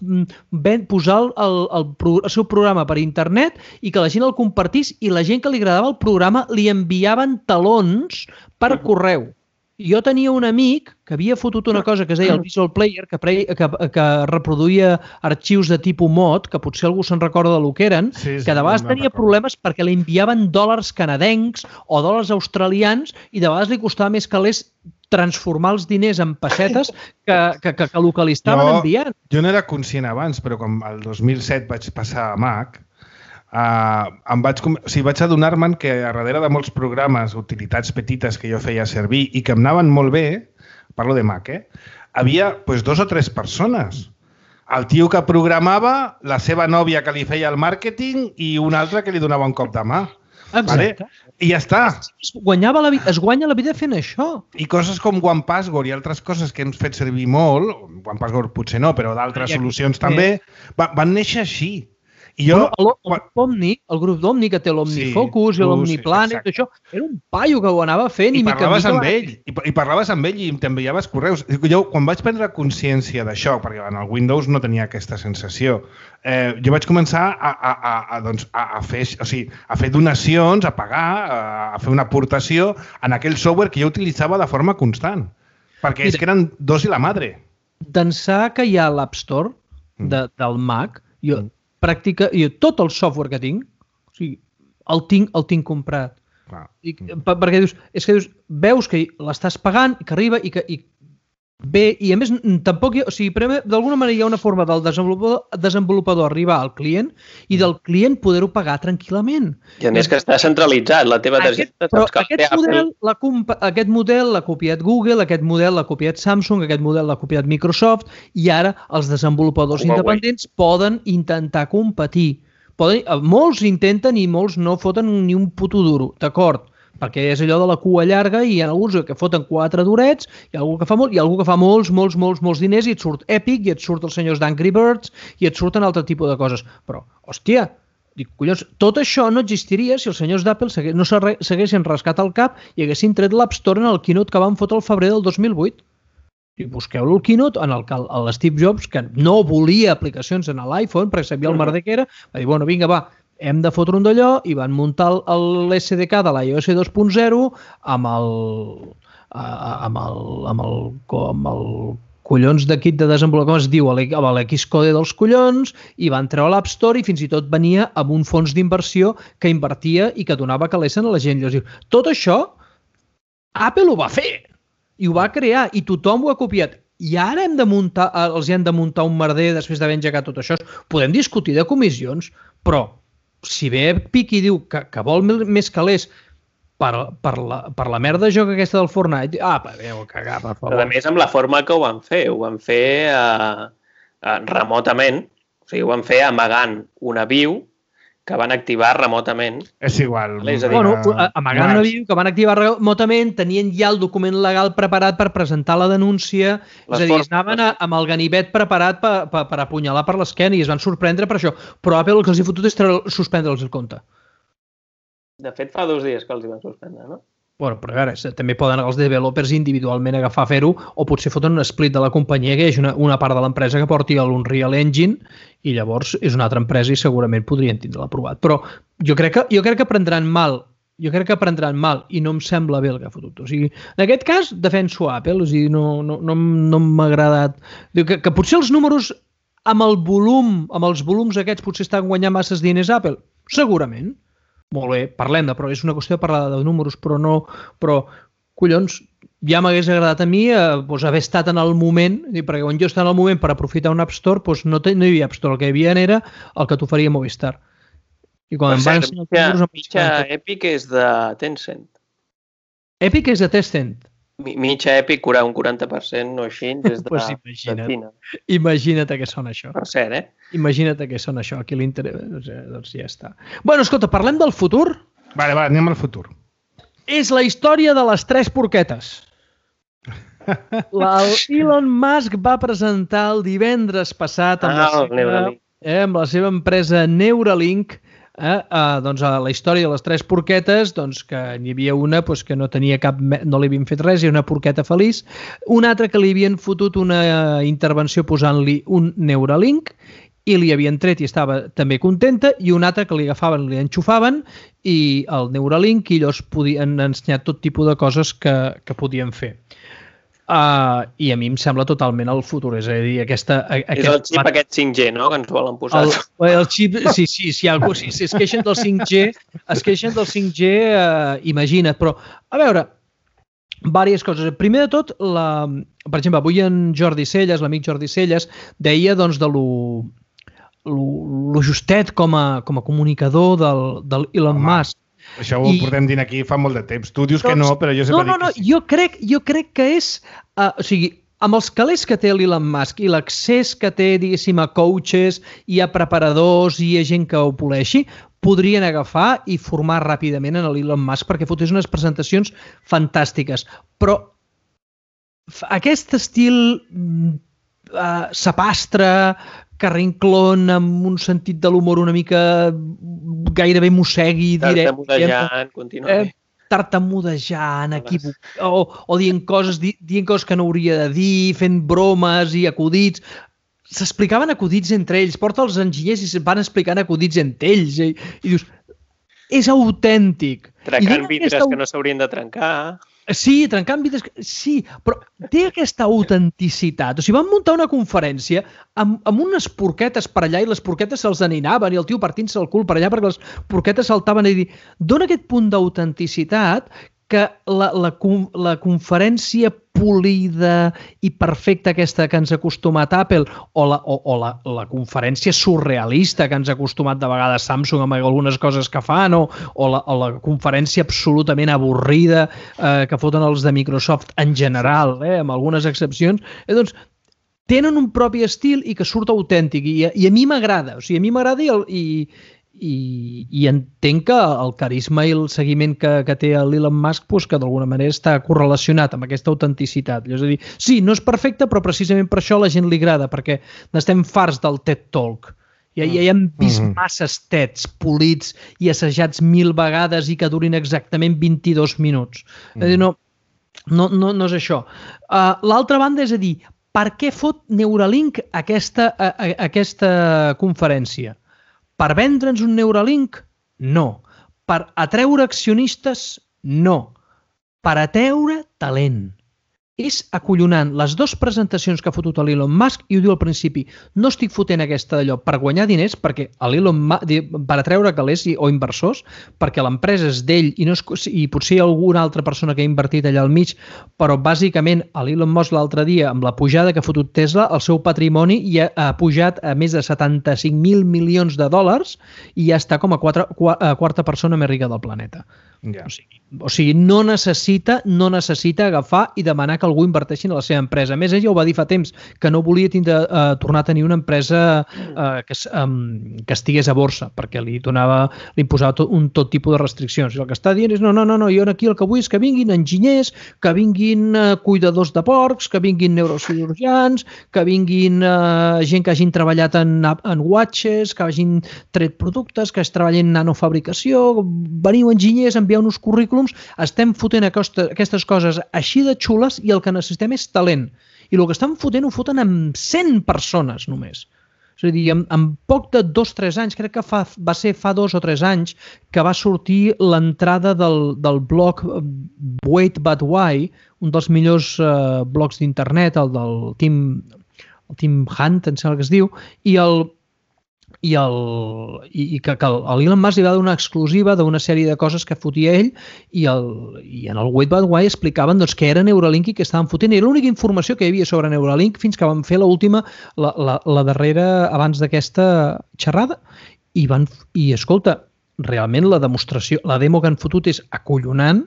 seu programa per internet i que la gent el compartís i la gent que li agradava el programa li enviaven talons per correu. Jo tenia un amic que havia fotut una cosa que es deia el Visual Player, que reproduïa arxius de tipus mod, que potser algú se'n recorda del que eren, que de vegades tenia problemes perquè li enviaven dòlars canadencs o dòlars australians i de vegades li costava més calés transformar els diners en pessetes que el que li estaven enviant. Jo no era conscient abans, però quan el 2007 vaig passar a Mac, vaig adonar-me'n que a darrere de molts programes, utilitats petites que jo feia servir i que em anaven molt bé, parlo de Mac, havia 2 o 3 persones. El tio que programava, la seva nòvia que li feia el màrqueting i un altre que li donava un cop de mà. Exacte. I ja està. Es guanya la vida fent això. I coses com OnePassword i altres coses que hem fet servir molt, OnePassword potser no, però d'altres solucions també, van néixer així. El grup d'Omni, que té l'Omnifocus i l'Omniplanet, això, era un paio que ho anava fent i parlaves amb ell, i parlaves amb ell i t'enviaves correus. Jo, quan vaig prendre consciència d'això, perquè en el Windows no tenia aquesta sensació, jo vaig començar a fer donacions, a pagar, a fer una aportació en aquell software que jo utilitzava de forma constant, perquè és que eren dos i la madre. D'ençà que hi ha l'App Store del Mac, tot el software que tinc, el tinc comprat. Perquè veus que l'estàs pagant, que arriba i que bé, i a més tampoc d'alguna manera hi ha una forma del desenvolupador arribar al client i del client poder-ho pagar tranquil·lament. I a més que està centralitzat, la teva targeta... Però aquest model l'ha copiat Google, aquest model l'ha copiat Samsung, aquest model l'ha copiat Microsoft i ara els desenvolupadors independents poden intentar competir. Molts intenten i molts no foten ni un puto duro, d'acord? Perquè és allò de la cua llarga i hi ha alguns que foten 4 durets, hi ha algú que fa molt, i algú que fa molts diners i et surt Epic, i et surt els senyors d'Angry Birds, i et surten altre tipus de coses. Però, hòstia, collons, tot això no existiria si els senyors d'Apple no s'haguessin rascat el cap i haguessin tret l'App Store en el keynote que van fotre el febrer del 2008. I busqueu-lo el keynote en el que l'Steve Jobs, que no volia aplicacions en l'iPhone, perquè sabia el merder que era, va dir, bueno, vinga, va, hem de fotre un d'allò i van muntar l'SDK de l'iOS 2.0 amb el collons de kit de desenvolupament, com es diu, amb l'Xcode dels collons, i van treure l'App Store i fins i tot venia amb un fons d'inversió que invertia i que donava calés a la gent. Tot això Apple ho va fer i ho va crear i tothom ho ha copiat. I ara els hem de muntar un merder després d'haver engegat tot això. Podem discutir de comissions, però si ve Epic i diu que vol més calés per la merda de joc aquesta del Fortnite, veu cagar, per favor. A més, amb la forma que ho van fer remotament, o sigui, ho van fer amagant una view que van activar remotament. És igual. Amagant una view que van activar remotament, tenien ja el document legal preparat per presentar la denúncia, és a dir, anaven amb el ganivet preparat per apunyalar per l'esquena i es van sorprendre per això. Però Apple el que els hi fotut és suspendre'ls el compte. De fet, fa 2 dies que els hi van suspendre, no? Bueno, però a veure, també poden els developers individualment agafar a fer-ho o potser foten un split de la companyia que hi hagi una part de l'empresa que porti l'Unreal Engine i llavors és una altra empresa i segurament podrien tindre-la aprovat. Però jo crec que prendran mal i no em sembla bé el que ha fotut. O sigui, en aquest cas, defenso Apple, o sigui, no m'ha agradat. Que potser els números amb els volums aquests potser estan guanyant masses diners Apple? Segurament. Molt bé, parlem-ne, però és una qüestió de parlar de números, però collons, ja m'hagués agradat a mi haver estat en el moment, perquè quan jo estava en el moment per aprofitar un App Store, no hi havia App Store, el que hi havia era el que t'oferia Movistar. I quan mitja Epic és de Tencent. Epic és de Tencent. Mitja Epic, un 40%, no així, des de Xina. Imagina't què sona això. Per cert, Imagina't què sona això. Aquí l'interès, doncs ja està. Bueno, escolta, parlem del futur? Va, anem al futur. És la història de les 3 porquetes. Elon Musk va presentar el divendres passat amb la seva empresa Neuralink doncs, a la història de les 3 porquetes, doncs, que n'hi havia una que no tenia no li havien fet res, i una porqueta feliç, una altra que li havien fotut una intervenció posant-li un Neuralink, i li havien tret i estava també contenta, i una altra que li agafaven, li enxufaven, i el Neuralink, i llavors podien ensenyar tot tipus de coses que podien fer. I a mi em sembla totalment el futur, és a dir, és el xip aquest 5G, no?, que ens volen posar. El xip, si algú es queixen del 5G, imagina't, però, a veure, diverses coses. Primer de tot, per exemple, avui en Jordi Celles, l'amic Jordi Celles, deia doncs de lo justet com a comunicador del Elon Musk. Això ho portem dint aquí fa molt de temps. Tu dius que no, però jo sempre dic que sí. Jo crec que és... O sigui, amb els calés que té l'Elon Musk i l'accés que té, diguéssim, a coaches i a preparadors i a gent que ho poleixi, podrien agafar i formar ràpidament en l'Elon Musk perquè fotés unes presentacions fantàstiques. Però aquest estil sapastre, carrinclón, amb un sentit de l'humor una mica gairebé mossegui, tartamudejant, contínuament. Tartamudejant, o dient coses que no hauria de dir, fent bromes i acudits. S'explicaven acudits entre ells, porta els enginyers i van explicant acudits entre ells. I dius, és autèntic. Trencant vidres que no s'haurien de trencar. Sí, trencant vidres, sí, però té aquesta autenticitat. O sigui, van muntar una conferència amb unes porquetes per allà i les porquetes se'ls aninaven i el tio partint-se el cul per allà perquè les porquetes saltaven i dir, dona aquest punt d'autenticitat que la conferència polida i perfecta aquesta que ens ha acostumat Apple o la conferència surrealista que ens ha acostumat de vegades Samsung amb algunes coses que fan o la conferència absolutament avorrida que foten els de Microsoft en general, amb algunes excepcions, doncs tenen un propi estil i que surt autèntic i a mi m'agrada, o sigui, a mi m'agrada i entenc que el carisma i el seguiment que té l'Elon Musk que d'alguna manera està correlacionat amb aquesta autenticitat. És a dir, sí, no és perfecte, però precisament per això a la gent li agrada, perquè n'estem farts del TED Talk. Ja hem vist masses TEDs polits i assajats 1000 vegades i que durin exactament 22 minuts. És a dir, no és això. L'altra banda és a dir, per què fot Neuralink aquesta conferència? Per vendre'ns un Neuralink? No. Per atreure accionistes? No. Per atreure talent. És acollonant. Les 2 presentacions que ha fotut l'Elon Musk, i ho diu al principi, no estic fotent aquesta d'allò per guanyar diners, perquè l'Elon Musk, per atreure calés o inversors, perquè l'empresa és d'ell i potser hi ha alguna altra persona que ha invertit allà al mig, però bàsicament l'Elon Musk l'altre dia, amb la pujada que ha fotut Tesla, el seu patrimoni ja ha pujat a més de 75.000 milions de dòlars i ja està com a quarta persona més rica del planeta. O sigui, no necessita agafar i demanar que algú inverteixi en la seva empresa. A més, ell ja ho va dir fa temps, que no volia tornar a tenir una empresa que estigués a borsa, perquè li imposava tot tipus de restriccions. I el que està dient és, no, jo aquí el que vull és que vinguin enginyers, que vinguin cuidadors de porcs, que vinguin neurocirurgians, que vinguin gent que hagin treballat en watches, que hagin tret productes, que es treballin en nanofabricació, veniu enginyers, envieu-nos currículums, estem fotent aquestes coses així de xules i el que necessitem és talent. I el que estan fotent ho foten amb 100 persones només. És a dir, en poc de 2-3 anys, crec que va ser fa 2 o 3 anys, que va sortir l'entrada del blog Wait But Why, un dels millors blogs d'internet, el del Tim Hunt, em sembla que es diu, i que l'Elon Musk li va donar una exclusiva d'una sèrie de coses que fotia ell i en el Wait But Why explicaven què era Neuralink i què estaven fotent. Era l'única informació que hi havia sobre Neuralink fins que van fer l'última, la darrera abans d'aquesta xerrada i escolta, realment la demostració, la demo que han fotut és acollonant.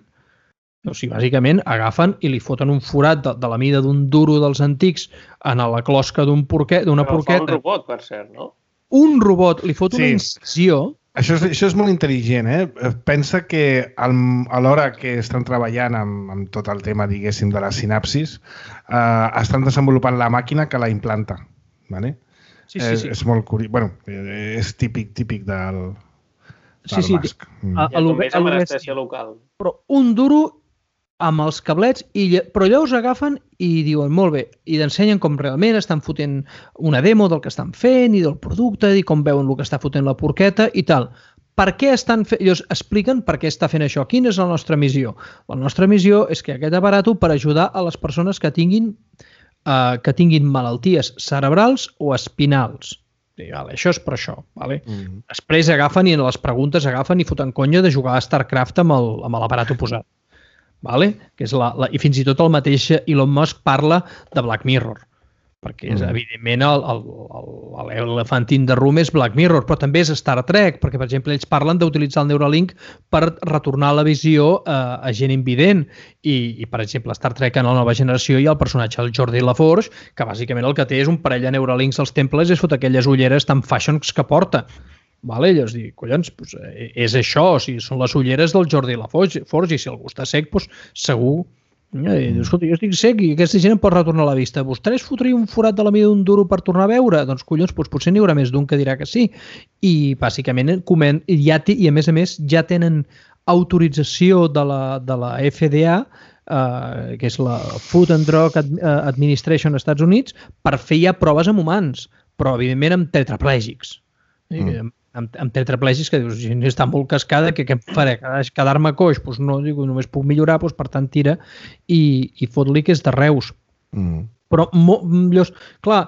O sigui, bàsicament agafen i li foten un forat de la mida d'un duro dels antics en la closca d'una porqueta. Però fa un robot, per cert, no? Un robot li fot una incisió. Això és molt intel·ligent, Pensa que a l'hora que estan treballant amb tot el tema, diguéssim, de la sinapsis, estan desenvolupant la màquina que la implanta, ¿vale? Sí. És molt curiós. Bueno, és típic del... Sí. Ja també és amb anestèsia local. Però un duro amb els cablets, però llavors agafen i diuen, molt bé, i t'ensenyen com realment estan fotent una demo del que estan fent i del producte i com veuen el que està fotent la porqueta i tal. Per què estan fent? Ells expliquen per què està fent això. Quina és la nostra missió? La nostra missió és que aquest aparato per ajudar a les persones que tinguin malalties cerebrals o espinals. Vale, això és per això. Vale? Després agafen i en les preguntes agafen i foten conya de jugar a StarCraft amb l'aparato posat. Vale? Que és i fins i tot el mateix Elon Musk parla de Black Mirror, perquè és, evidentment l'elefant in the room és Black Mirror, però també és Star Trek, perquè per exemple ells parlen d'utilitzar el Neuralink per retornar la visió a gent invident i per exemple Star Trek en la nova generació hi ha el personatge del Geordi LaForge que bàsicament el que té és un parell de Neuralinks als temples i es fot aquelles ulleres tan fashions que porta. Vale? Llavors dic, collons, doncs, és això, o sigui, són les ulleres del Jordi LaForge i si algú està sec, doncs, segur. Escolta, jo estic sec i aquesta gent em pot retornar la vista. Vostè es fotria un forat de la mida d'un duro per tornar a veure? Doncs collons, potser n'hi haurà més d'un que dirà que sí. I bàsicament, i a més ja tenen autorització de la FDA, que és la Food and Drug Administration als Estats Units, per fer ja proves amb humans, però evidentment amb tetraplègics. Amb tetraplègics que dius, si està molt cascada, què em faré? Quedar-me coix? Doncs no, dic, només puc millorar, doncs per tant tira i fot-li que és de Reus. Però, clar,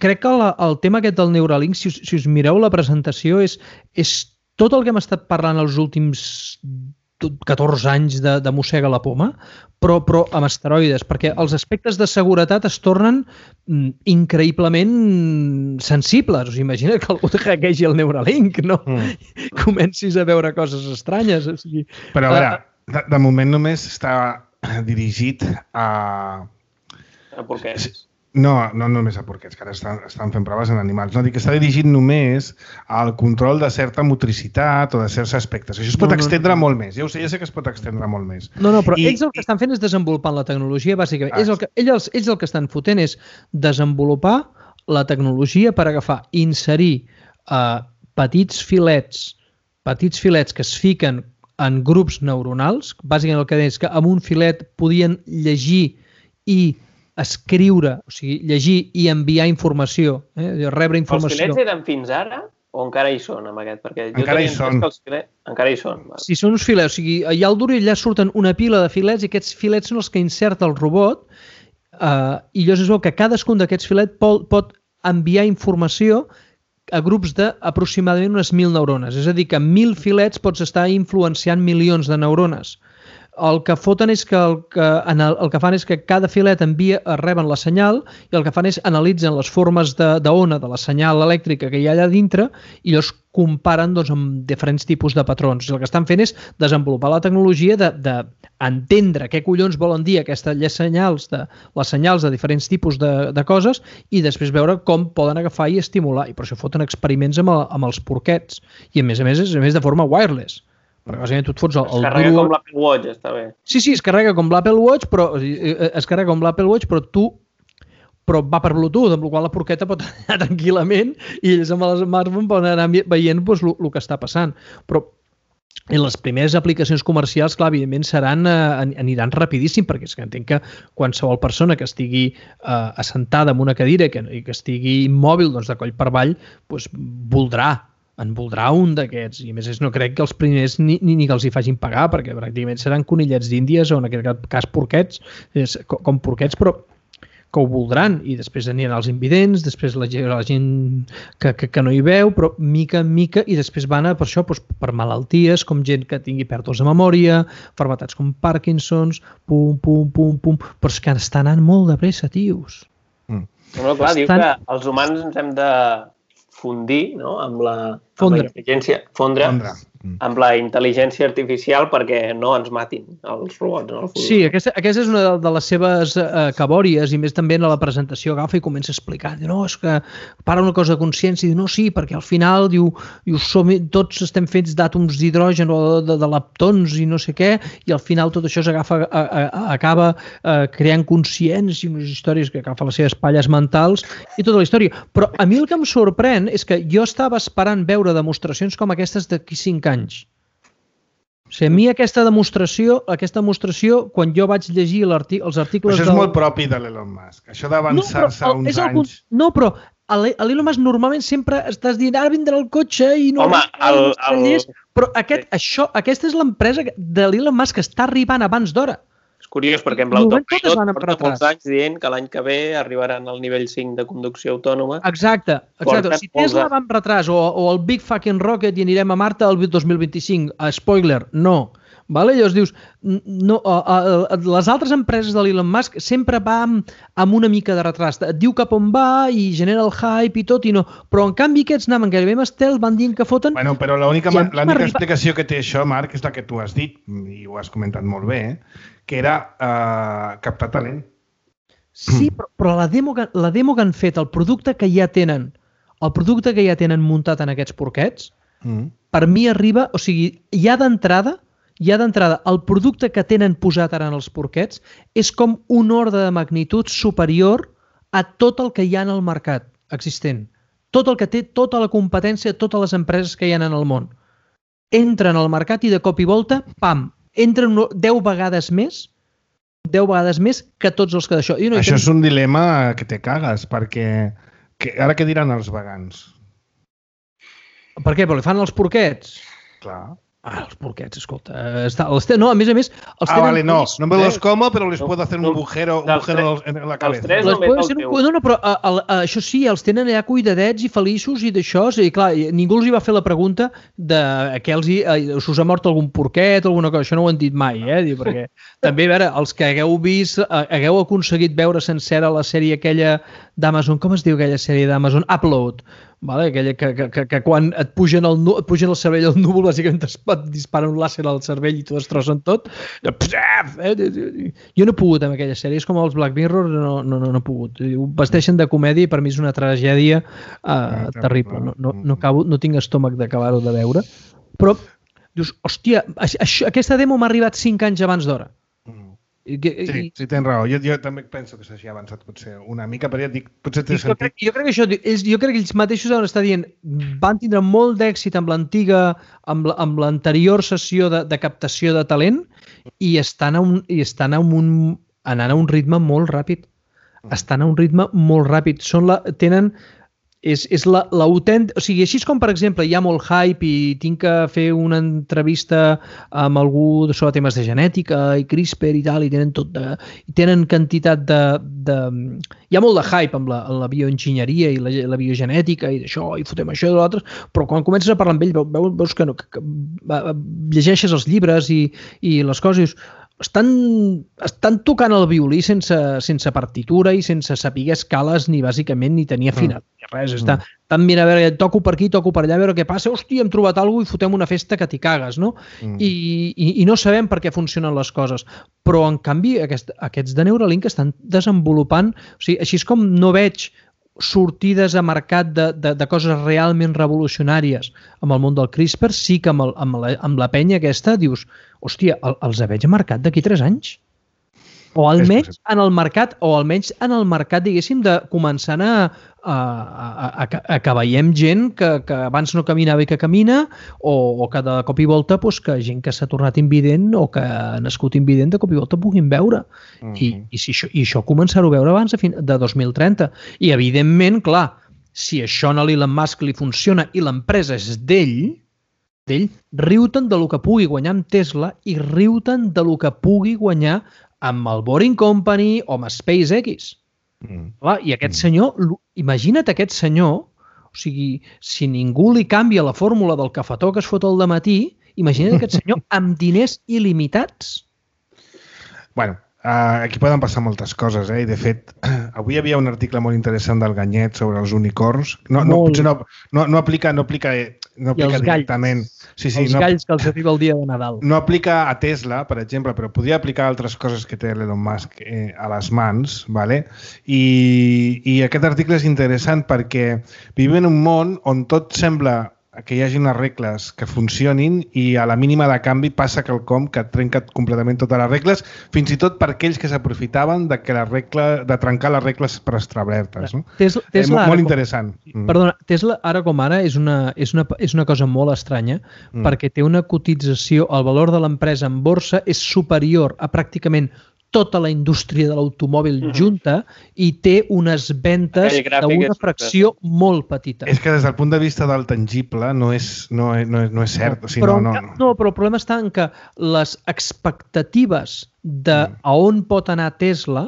crec que el tema aquest del Neuralink, si us mireu la presentació, és tot el que hem estat parlant els últims 14 anys de mossega la poma, però amb esteroides, perquè els aspectes de seguretat es tornen increïblement sensibles. Us imagina que algú te hackegi el Neuralink, no? Comencis a veure coses estranyes. O sigui, però a veure, de moment només està dirigit a... A porquets. No només a porquets, que ara estan fent proves en animals. No, dic que està dirigit només al control de certa motricitat o de certs aspectes. Això es pot extendre molt més. Ja sé que es pot extendre molt més. No, però ells el que estan fent és desenvolupant la tecnologia, bàsicament. Ells el que estan fotent és desenvolupar la tecnologia per agafar, inserir petits filets que es fiquen en grups neuronals. Bàsicament el que deia és que amb un filet podien llegir i escriure, o sigui, llegir i enviar informació, rebre informació. Els filets eren fins ara o encara hi són amb aquest? Perquè jo encara hi són. Encara hi són. Vale. Sí, són uns filets, o sigui, allà al duro i allà surten una pila de filets i aquests filets són els que inserta el robot i llavors es veu que cadascun d'aquests filets pot enviar informació a grups d'aproximadament unes 1.000 neurones. És a dir, que amb 1.000 filets pots estar influenciant milions de neurones. El que foten és que el que fan és que cada filet reben la senyal i el que fan és analitzen les formes d'ona de la senyal elèctrica que hi ha allà dintre i llavors comparen amb diferents tipus de patrons. El que estan fent és desenvolupar la tecnologia d'entendre què collons volen dir les senyals de diferents tipus de coses i després veure com poden agafar i estimular. I per això foten experiments amb els porquets. I a més de forma wireless. Perquè bàsicament tu et fots es carrega com l'Apple Watch, està bé. Sí, es carrega com l'Apple Watch, però va per Bluetooth, amb la qual la porqueta pot anar tranquil·lament i ells amb el smartphone poden anar veient el que està passant. Però les primeres aplicacions comercials, clar, evidentment aniran rapidíssim, perquè és que entenc que qualsevol persona que estigui assentada en una cadira i que estigui immòbil de coll per avall, en voldrà un d'aquests, i a més no crec que els primers ni que els hi facin pagar, perquè pràcticament seran conillets d'Índies o en aquest cas porquets, com porquets, però que ho voldran, i després aniran els invidents, després la gent que no hi veu, però mica en mica, i després van per això, per malalties, com gent que tingui pèrdues de memòria, malalties com Parkinson's, pum, però és que està anant molt de pressa, tios. No, clar, diu que els humans ens hem de fundir, no?, amb la intel·ligència, fondre amb la intel·ligència artificial perquè no ens matin els robots en el futur. Sí, aquesta és una de les seves cabòries, i més també en la presentació agafa i comença a explicar. Diu, no, és que para una cosa de consciència, i diu, no, sí, perquè al final diu tots estem fets d'àtoms d'hidrogen o de leptons i no sé què, i al final tot això acaba creant consciència i unes històries que agafa les seves palles mentals i tota la història. Però a mi el que em sorprèn és que jo estava esperant veure demostracions com aquestes d'aquí 5 anys. O sigui, a mi aquesta demostració, quan jo vaig llegir els articles... Això és molt propi de l'Elon Musk. Això d'avançar-se uns anys... No, però a l'Elon Musk normalment sempre estàs dient ara vindrà el cotxe i no... Home, però aquesta és l'empresa de l'Elon Musk que està arribant abans d'hora. És curiós perquè amb l'autopilot porta molts anys dient que l'any que ve arribaran al nivell 5 de conducció autònoma. Exacte. Si Tesla va amb retras o el Big Fucking Rocket i anirem a Marte el 2025, spoiler, no. Llavors dius, les altres empreses de l'Elon Musk sempre va amb una mica de retras. Et diu cap on va i genera el hype i tot, i no. Però en canvi aquests anaven gairebé amb estel, van dient que foten... Bueno, però l'única explicació que té això, Marc, és la que tu has dit, i ho has comentat molt bé, que era captar talent. Sí, però la demo que han fet, el producte que ja tenen muntat en aquests porquets, per mi arriba, o sigui, ja d'entrada, el producte que tenen posat ara en els porquets és com un ordre de magnitud superior a tot el que hi ha en el mercat existent. Tot el que té, tota la competència, totes les empreses que hi ha en el món. Entren al mercat i de cop i volta, pam, entren 10 vegades més que tots els que d'això. Això és un dilema que te cagues, perquè ara què diran els vegans? Per què? Però li fan els porquets? Clar. Els porquets, escolta. No, a més... no me los como, però les puedo hacer un agujero en la cabeza. No, però això sí, els tenen allà cuidadets i feliços i d'això. I clar, ningú els hi va fer la pregunta de que us ha mort algun porquet o alguna cosa. Això no ho han dit mai, perquè també, a veure, els que hagueu aconseguit veure sencera la sèrie aquella d'Amazon, com es diu aquella sèrie d'Amazon? Upload. Aquella que quan et pugen el cervell al núvol, bàsicament et disparen un làser al cervell i t'ho destrossen tot. Jo no he pogut amb aquella sèrie, és com els Black Mirror, no he pogut. Ho vesteixen de comèdia i per mi és una tragèdia terrible. No tinc estómac d'acabar-ho de veure. Però dius, hòstia, aquesta demo m'ha arribat 5 anys abans d'hora. Sí, tens raó. Jo també penso que s'hagi avançat potser una mica, però ja et dic, potser té sentit. Jo crec que ells mateixos deuen estar dient van tindre molt d'èxit amb l'anterior sessió de captació de talent i estan anant a un ritme molt ràpid. Estan a un ritme molt ràpid. És l'autèntic... O sigui, així com, per exemple, hi ha molt hype i tinc que fer una entrevista amb algú sobre temes de genètica i CRISPR i tal, i tenen quantitat de... Hi ha molt de hype amb la bioenginyeria i la biogenètica i d'això, i fotem això i l'altre, però quan comences a parlar amb ell veus que llegeixes els llibres i les coses, estan tocant el violí sense partitura i sense saber escales ni bàsicament ni tenir afinat ni res. Estan mirant, a veure, toco per aquí, toco per allà, a veure què passa, hòstia, hem trobat alguna cosa i fotem una festa que t'hi cagues, no? I no sabem per què funcionen les coses. Però, en canvi, aquests de Neuralink estan desenvolupant, o sigui, així és com no veig sortides a mercat de coses realment revolucionàries amb el món del CRISPR, sí que amb la penya aquesta dius, hòstia, els veig a mercat d'aquí 3 anys. O almenys en el mercat, diguéssim, de començant que veiem gent que abans no caminava i que camina, o que de cop i volta que gent que s'ha tornat invident o que ha nascut invident de cop i volta puguin veure. I això començar-ho a veure abans de 2030. I evidentment, clar, si això a l'Elon Musk li funciona i l'empresa és d'ell, riu-te'n del que pugui guanyar amb Tesla i riu-te'n del que pugui guanyar amb el Boring Company o amb SpaceX. I aquest senyor, imagina't aquest senyor, o sigui, si ningú li canvia la fórmula del cafetó que es fot al dematí, imagina't aquest senyor amb diners il·limitats. Bueno, aquí poden passar moltes coses, i de fet, avui hi havia un article molt interessant del Ganyet sobre els unicorns. Potser no aplica no aplica directament. Els galls que els arriba el dia de Nadal. No aplica a Tesla, per exemple, però podria aplicar altres coses que té l'Elon Musk a les mans, ¿vale? I aquest article és interessant perquè vivim en un món on tot sembla que hi hagi unes regles que funcionin i a la mínima de canvi passa quelcom que trenca completament totes les regles, fins i tot per aquells que s'aprofitaven de trencar les regles preestablertes. No? Tesla molt interessant. Perdona, Tesla ara com ara és una cosa molt estranya perquè té una cotització, el valor de l'empresa en borsa és superior a pràcticament tota la indústria de l'automòbil junta i té unes ventes d'una fracció molt petita. És que des del punt de vista del tangible no és cert. O sigui, no, però el problema està en que les expectatives de a on pot anar Tesla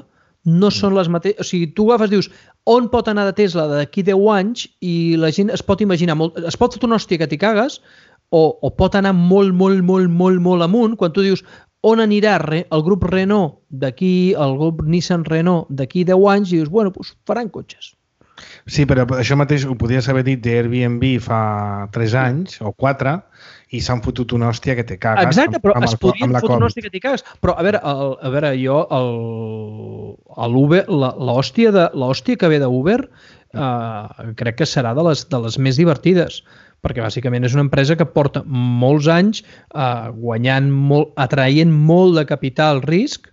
no són les mateixes. O sigui, tu agafes, dius, on pot anar de Tesla d'aquí 10 anys i la gent es pot imaginar, es pot fer una hòstia que t'hi cagues o pot anar molt amunt quan tu dius on anirà el grup Renault d'aquí, el grup Nissan Renault d'aquí 10 anys i dius, bueno, doncs faran cotxes. Sí, però això mateix ho podies haver dit d'Airbnb fa 3 anys o 4 i s'han fotut una hòstia que te cagues. Exacte, però es podrien fotre una hòstia que te cagues. Però, a veure, jo, l'Uber, l'hòstia que ve d'Uber crec que serà de les més divertides, perquè bàsicament és una empresa que porta molts anys atraient molt de capital risc,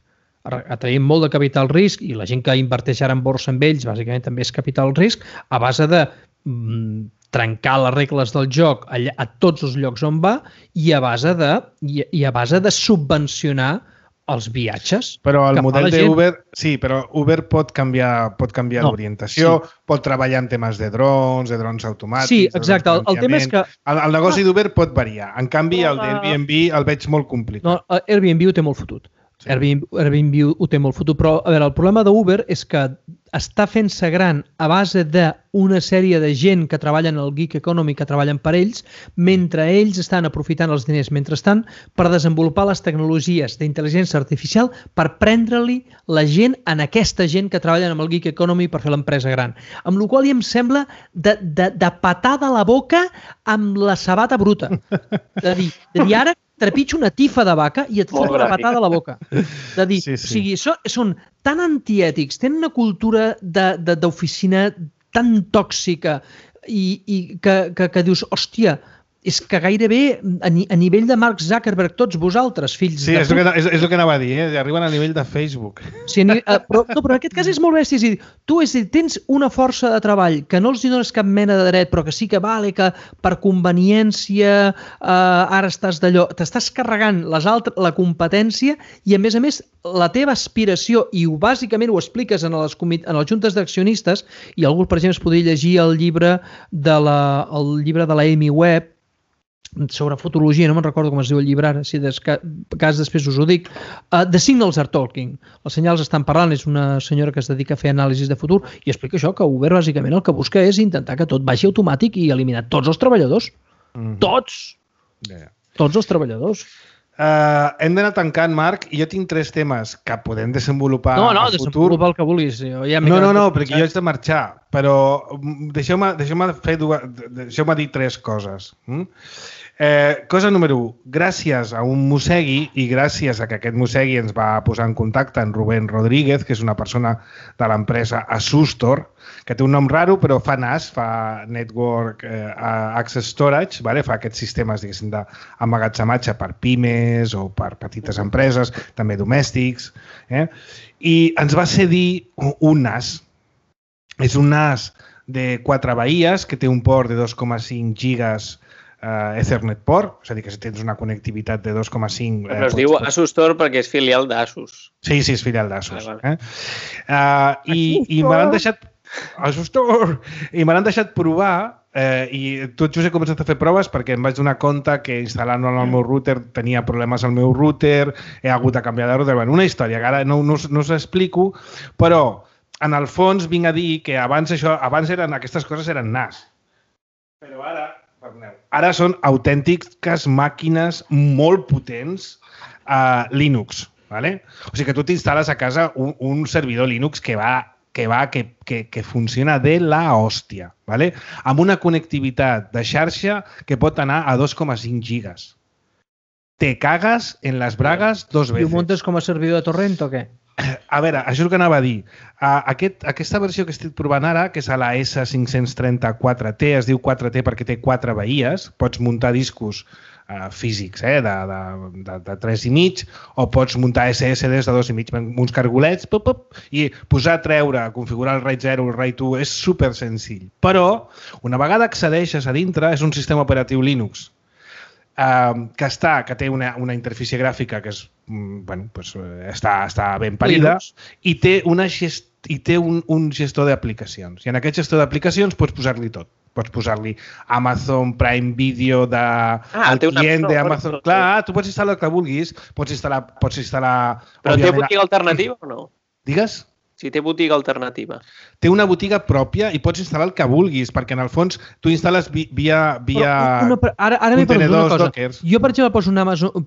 i la gent que inverteix ara en borsa amb ells bàsicament també és capital risc, a base de trencar les regles del joc a tots els llocs on va i a base de subvencionar els viatges. Però el model d'Uber, sí, però Uber pot canviar l'orientació, pot treballar en temes de drons automàtics... Sí, exacte. El tema és que... El negoci d'Uber pot variar. En canvi, el d'Airbnb el veig molt complicat. No, Airbnb ho té molt fotut. Airbnb ho té molt fotut, però a veure, el problema d'Uber és que està fent-se gran a base d'una sèrie de gent que treballen al gig economy, que treballen per ells, mentre ells estan aprofitant els diners mentrestant per desenvolupar les tecnologies d'intel·ligència artificial per prendre-li la gent en aquesta gent que treballen amb el gig economy per fer l'empresa gran. Amb la qual cosa em sembla de patada a la boca amb la sabata bruta. De dir ara trepitjo una tifa de vaca i et foto una patada a la boca. De dir, o sigui, són tan antiètics, tenen una cultura d'oficina tan tòxica i que dius, hòstia, és que gairebé a nivell de Mark Zuckerberg, tots vosaltres, fills de... Sí, és el que anava a dir, arriben a nivell de Facebook. Sí, però en aquest cas és molt bèstia. És a dir, tu tens una força de treball que no els dones cap mena de dret, però que sí que vale que per conveniència ara estàs d'allò, t'estàs carregant la competència i a més la teva aspiració, i bàsicament ho expliques en les juntes d'accionistes, i algú, per exemple, es podria llegir el llibre de la Amy Webb sobre futurologia, no me'n recordo com es diu el llibre ara, si de cas després us ho dic. The Signals are Talking. Els senyals estan parlant, és una senyora que es dedica a fer anàlisis de futur i explica això, que Uber bàsicament el que busca és intentar que tot vagi automàtic i eliminar tots els treballadors. Tots! Tots els treballadors. Hem d'anar tancant, Marc, i jo tinc 3 temes que podem desenvolupar a futur. Desenvolupa el que vulguis. No, perquè jo haig de marxar, però deixeu-me dir 3 coses. Cosa número 1, gràcies a un mossegui i gràcies a que aquest mossegui ens va posar en contacte amb Rubén Rodríguez, que és una persona de l'empresa Asustor, que té un nom raro però fa NAS, fa Network Access Storage, fa aquests sistemes d'emmagatzematge per pimes o per petites empreses, també domèstics, i ens va cedir un NAS. És un NAS de 4 bahies que té un port de 2,5 gigas Ethernet port, és a dir, que si tens una connectivitat de 2,5... Però es diu Asus Store perquè és filial d'Asus. Sí, és filial d'Asus. I me l'han deixat... Asus Store! I me l'han deixat provar i tot just he començat a fer proves perquè em vaig donar compte que instal·lant-ho en el meu router tenia problemes al meu router, he hagut de canviar de router... Una història que ara no us explico, però en el fons vinc a dir que abans aquestes coses eren NAS. Però ara són autèntiques màquines molt potents Linux. O sigui que tu t'instal·les a casa un servidor Linux que va que funciona de la hòstia, ¿vale? Amb una connectivitat de xarxa que pot anar a 2,5 gigas. Te cagues en les bragues dos veces. I ho muntes com a servidor de torrent o què? A veure, això és el que anava a dir. Aquesta versió que estic provant ara, que és a la S534T, es diu 4T perquè té 4 bahies, pots muntar discos físics de 3,5 o pots muntar SSDs de 2,5 amb uns cargolets i posar, treure, configurar el RAID 0, el RAID 1, és super senzill. Però, una vegada accedeixes a dintre, és un sistema operatiu Linux que té una interfície gràfica que és, està ben parida i té un gestor d'aplicacions. I en aquest gestor d'aplicacions pots posar-li tot. Pots posar-li Amazon Prime Video el client d'Amazon. Clar, tu pots instal·lar el que vulguis, pots instal·lar... Però té botiga alternativa o no? Digues? Si té botiga alternativa. Té una botiga pròpia i pots instal·lar el que vulguis, perquè en el fons tu instal·les via ara m'he perdut una cosa. Dockers. Jo, per exemple,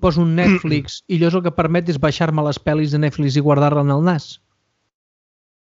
poso un Netflix i allò el que permet és baixar-me les pel·lis de Netflix i guardar-la en el nas.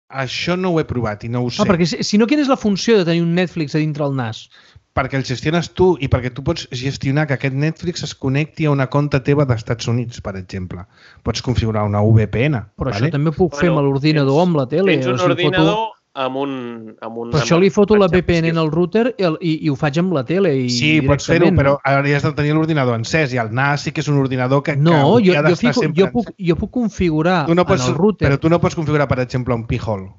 Això no ho he provat i no ho sé. Perquè si no, quina és la funció de tenir un Netflix a dintre el nas? Perquè el gestiones tu i perquè tu pots gestionar que aquest Netflix es connecti a una compte teva d'Estats Units, per exemple. Pots configurar una VPN. Però això també ho puc fer amb l'ordinador o amb la tele. Tens un ordinador amb un... Per això li foto la VPN en el router i ho faig amb la tele. Sí, pots fer-ho, però hauries de tenir l'ordinador encès i el NAS sí que és un ordinador que hauria d'estar sempre encès. Jo puc configurar en el router... Però tu no pots configurar, per exemple, un P-hole.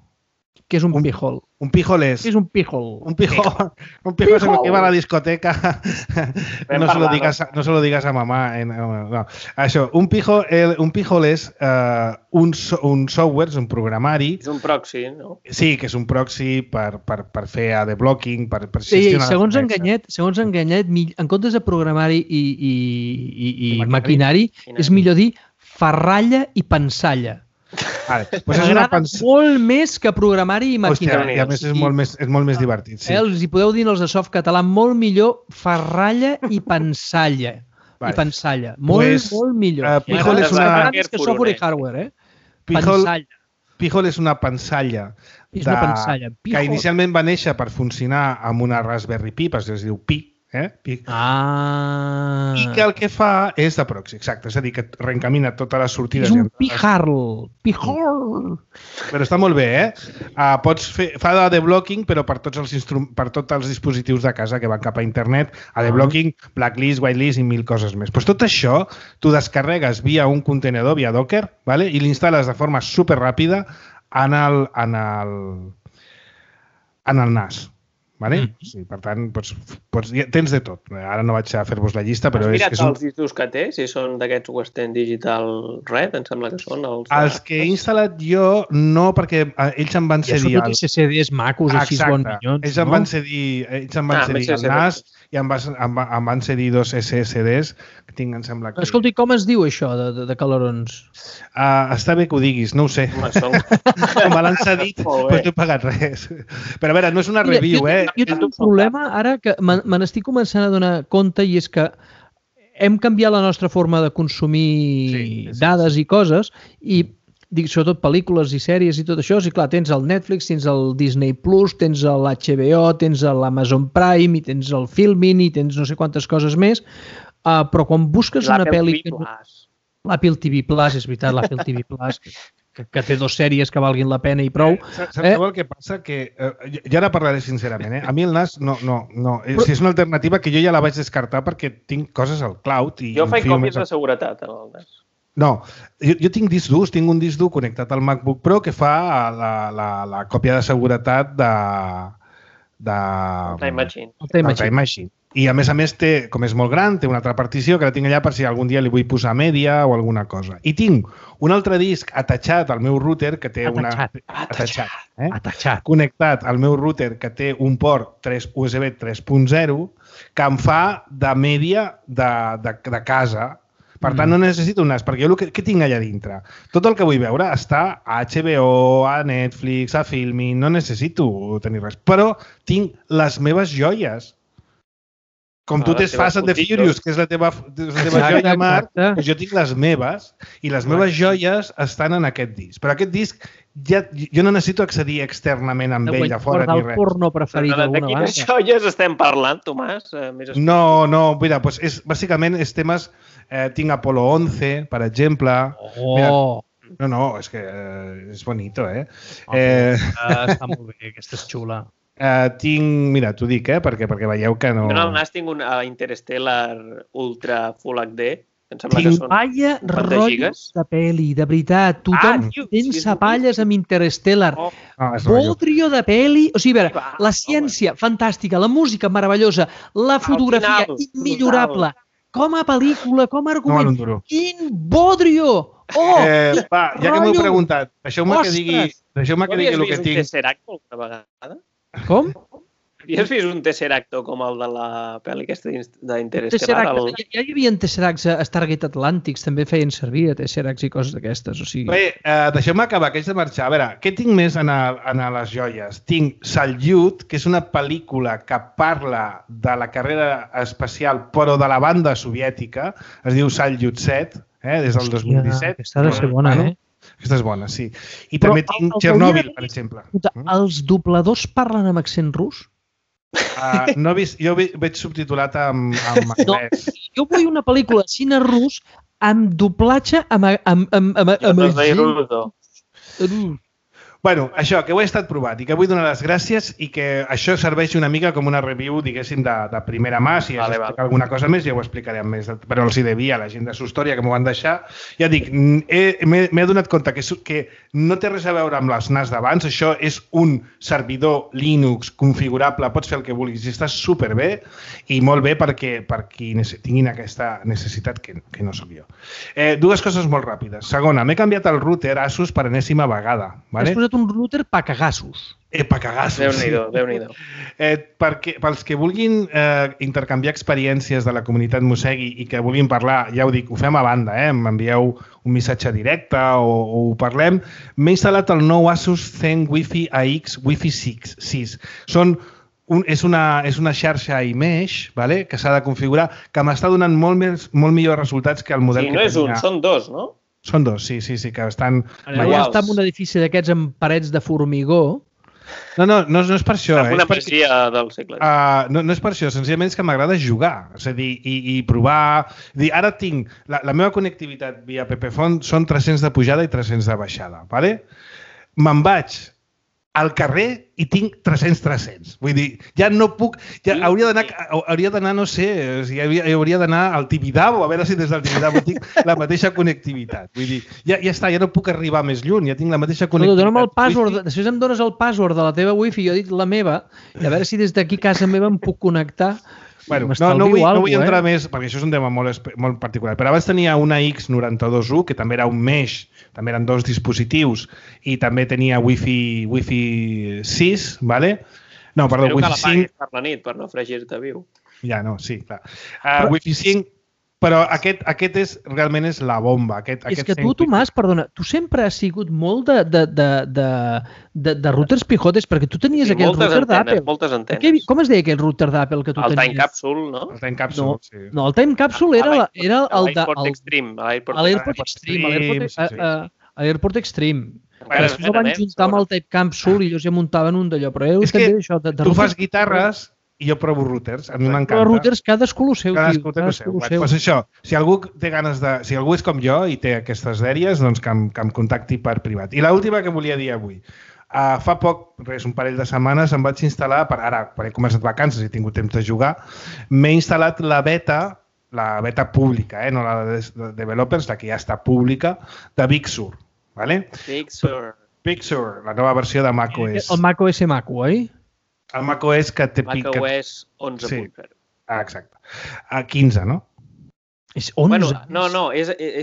Què és un P-hole? Un P-hole és... Què és un P-hole? Un P-hole es lo que va a la discoteca. No se lo digas a mamá. No. Això, un P-hole és un software, és un programari... És un proxy, no? Sí, que és un proxy per fer AD-blocking, per Sí, gestionar... segons Enganyet, en comptes de programari i maquinari, és millor dir ferralla i pensalla. M'agrada molt més que programari i maquinari. I a més és molt més divertit. Sí. Els hi podeu dir als de Softcatalà molt millor ferralla i pensalla. I pensalla. Molt millor. P-hole és una... És que software i hardware, Pensalla. P-hole és una pensalla. És una pensalla. Que inicialment va néixer per funcionar amb una Raspberry Pi, es diu Pi. I que el que fa és de proxy, exacte, és a dir, que reencamina totes les sortides. És un P-hole. Però està molt bé, fa AD-blocking, però per tots els dispositius de casa que van cap a internet, AD-blocking, blacklist, whitelist i 1000 coses més. Pues tot això tu descarregues via un contenedor, via Docker, ¿vale? I l'instal·les de forma superràpida en el NAS. Vale? Sí, per tant, tens de tot. Ara no vaig a fer-vos la llista, però... Has mirat els discos que té? Si són d'aquests Western Digital Red, em sembla que són els que he instal·lat jo, no, perquè ells em van cedir... Ja són tots SSDs macos, així bon minyons. Ells em van cedir el NAS i em van cedir 2 SSDs que tinc, em sembla que... Escolti, com es diu això de calarons? Està bé que ho diguis, no ho sé. Me l'han cedit, però no he pagat res. Però a veure, no és una review, Jo tinc un problema ara que me n'estic començant a donar compte i és que hem canviat la nostra forma de consumir dades i coses i sobretot pel·lícules i sèries i tot això, i clar, tens el Netflix, tens el Disney Plus, tens l'HBO, tens l'Amazon Prime i tens el Filmin i tens no sé quantes coses més, però quan busques una pel·li... L'Apple TV Plus, és veritat, l'Apple TV Plus, que té 2 sèries que valguin la pena i prou. Saps el que passa? Que jo ara parlaré sincerament. A mi el NAS no. Si és una alternativa que jo ja la vaig descartar perquè tinc coses al cloud. Jo faig còpies de seguretat en el NAS. No, jo tinc disc durs, tinc un disc dur connectat al MacBook Pro que fa la còpia de seguretat de Time Machine. I a més té, com és molt gran, té una altra partició que la tinc allà per si algun dia li vull posar mèdia o alguna cosa. I tinc un altre disc atachat al meu router que té connectat al meu router que té un port USB 3.0 que em fa de mèdia de casa. Per tant, no necessito un NAS, perquè jo què tinc allà dintre? Tot el que vull veure està a HBO, a Netflix, a Filmin, no necessito tenir res. Però tinc les meves joies. Com tu tens Fast and the Furious, que és la teva joia, Marc, jo tinc les meves i les meves joies estan en aquest disc. Però aquest disc jo no necessito accedir externament amb ell a fora ni res. El porno preferit d'alguna banda. De quines joies estem parlant, Tomàs? No, mira, bàsicament és temes... Tinc Apolo 11, per exemple. Oh! No, és que és bonito, Està molt bé, aquesta és xula. Tinc, mira, t'ho dic, perquè veieu que no... Jo al nas tinc un Interstellar Ultra Full HD, em sembla que són Vaya rotllos de pel·li, de veritat. Tothom tens sapalles amb Interstellar. Bodrio de pel·li. O sigui, a veure, la ciència, fantàstica, la música, meravellosa, la fotografia, immillorable. Com a pel·lícula, com a argument. Quin bodrio! Va, ja que m'ho he preguntat, deixeu-me que digui el que tinc. Havies vist un Tesseract alguna vegada? Com? Havies vist un Tesseracto com el de la pel·li aquesta d'Interstellar? Ja hi havia Tesseracts a Stargate Atlantics, també feien servir a Tesseracts i coses d'aquestes. Bé, deixeu-me acabar, que haig de marxar. A veure, què tinc més en les joies? Tinc Salyut, que és una pel·lícula que parla de la carrera espacial, però de la banda soviètica. Es diu Salyut 7, des del 2017. Aquesta ha de ser bona, Aquesta és bona, sí. I també tinc Chernobyl, per exemple. Els dobladors parlen amb accent rus? No he vist, jo veig subtitulat en anglès. Jo vull una pel·lícula de cine rus amb doblatge Bueno, això, que ho he estat provat i que vull donar les gràcies i que això serveix una mica com una review, diguéssim, de primera mà. Si has d'explicar alguna cosa més, ja ho explicaré amb més. Però els hi devia a la gent de Sustoria que m'ho van deixar. Ja dic, m'he donat compte que no té res a veure amb les NAS d'abans. Això és un servidor Linux configurable, pots fer el que vulguis i està superbé i molt bé per qui tinguin aquesta necessitat que no sóc jo. Dues coses molt ràpides. Segona, m'he canviat el router Asus per enèsima vegada. Has posat un router pa cagassos. Pa cagassos, Déu-n'hi-do. Pels que vulguin intercanviar experiències de la comunitat Mosegui i que vulguin parlar, ja ho dic, ho fem a banda, m'envieu un missatge directe o ho parlem, m'he instal·lat el nou Asus Zen Wi-Fi AX Wi-Fi 6. És una xarxa iMesh, que s'ha de configurar, que m'està donant molt millors resultats que el model que tenia. Sí, no és un, són dos, no? Són dos, sí, que estan... Allà està en un edifici d'aquests amb parets de formigó. No és per això. És una masia del segle. No és per això, senzillament és que m'agrada jugar, és a dir, i provar... Ara tinc... La meva connectivitat via PPFont són 300 de pujada i 300 de baixada, d'acord? Me'n vaig al carrer i tinc 300. Vull dir, ja no puc... Hauria d'anar, no sé, hauria d'anar al Tibidabo, a veure si des del Tibidabo tinc la mateixa connectivitat. Vull dir, ja està, ja no puc arribar més lluny, ja tinc la mateixa connectivitat. Dóna'm el password, després em dones el password de la teva wifi, jo he dit la meva, i a veure si des d'aquí a casa meva em puc connectar. Bueno, no vull entrar més, perquè això és un tema molt particular, però abans tenia una X92U, que també era un mesh, també eren dos dispositius, i també tenia Wi-Fi 6, ¿vale? No, perdó, Wi-Fi 5... Espero que l'apaguis per la nit, per no fregir-te viu. Ja, no, sí, clar. Wi-Fi 5, però aquest realment és la bomba. És que tu, Tomàs, perdona, tu sempre has sigut molt de routers pijotes, perquè tu tenies aquell router d'Apple. Moltes antenes. Com es deia aquell router d'Apple que tu tenies? El Time Capsule, no? El Time Capsule, sí. No, el Time Capsule era el de... l'AirPort Extreme. l'AirPort Extreme. Després el van juntar amb el Time Capsule i ells ja muntaven un d'allò. Però és que tu fas guitarres i jo provo routers, a mi m'encanta. Però routers cadascú el seu, tio. Cadascú té el seu. Doncs això, si algú té ganes de... Si algú és com jo i té aquestes dèries, doncs que em contacti per privat. I l'última que volia dir avui. Fa poc, un parell de setmanes, em vaig instal·lar, ara he començat vacances i he tingut temps de jugar, m'he instal·lat la beta pública, no la de developers, la que ja està pública, de Big Sur. Big Sur, la nova versió de macOS. El macOS Maco, oi? El macOS que té... macOS 11.0. Exacte. 15, no? És 11? No,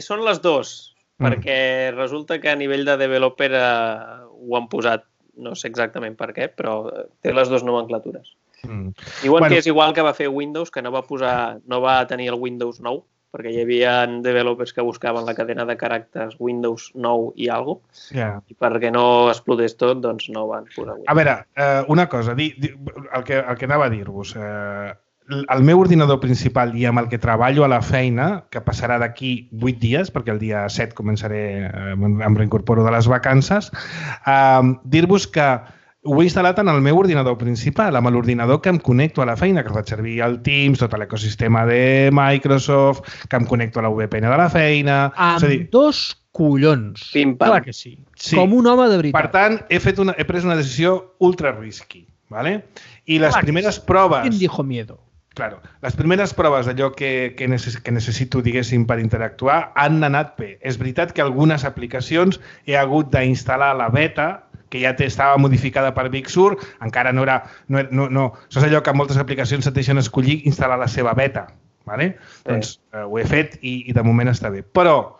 són les dues, perquè resulta que a nivell de developer ho han posat, no sé exactament per què, però té les dues nomenclatures. Diuen que és igual que va fer Windows, que no va tenir el Windows 9, perquè hi havia developers que buscaven la cadena de caràcters Windows 9 i alguna cosa, i perquè no explotés tot, doncs no van posar Windows. A veure, una cosa, el que anava a dir-vos. el meu ordinador principal i amb el que treballo a la feina, que passarà d'aquí 8 dies, perquè el dia 7 començaré, em reincorporo de les vacances, dir-vos que ho he instal·lat en el meu ordinador principal, amb l'ordinador que em connecto a la feina, que faig servir el Teams, tot l'ecosistema de Microsoft, que em connecto a la VPN de la feina... Amb dos collons. Pim-pam. Clar que sí. Com un home de veritat. Per tant, he pres una decisió ultra risky, ¿vale? I les primeres proves... ¿Quién dijo miedo? Claro, les primeres proves d'allò que necessito, diguéssim, per interactuar han anat bé. És veritat que algunes aplicacions he hagut d'instal·lar la beta, que ja estava modificada per Big Sur, encara no era... No. Això és allò que moltes aplicacions et deixen escollir instal·lar la seva beta. ¿Vale? Doncs ho he fet i de moment està bé. Però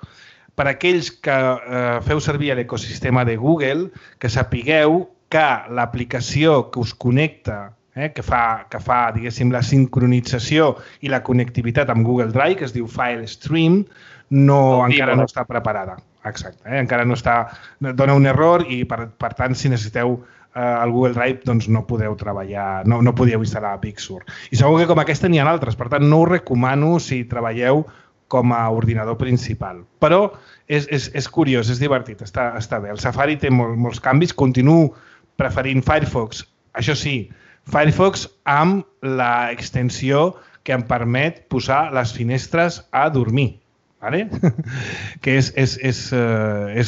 per aquells que feu servir l'ecosistema de Google, que sapigueu que l'aplicació que us connecta, que fa, diguéssim, la sincronització i la connectivitat amb Google Drive, que es diu FileStream, encara no està preparada. Exacte, encara no està... Dona un error i, per tant, si necessiteu el Google Drive, doncs no podeu treballar, no podíeu instal·lar Big Sur. I segur que com aquesta n'hi ha altres, per tant, no us recomano si treballeu com a ordinador principal. Però és curiós, és divertit, està bé. El Safari té molts canvis, continuo preferint Firefox, això sí, Firefox amb l'extensió que em permet posar les finestres a dormir. ¿Vale? Que és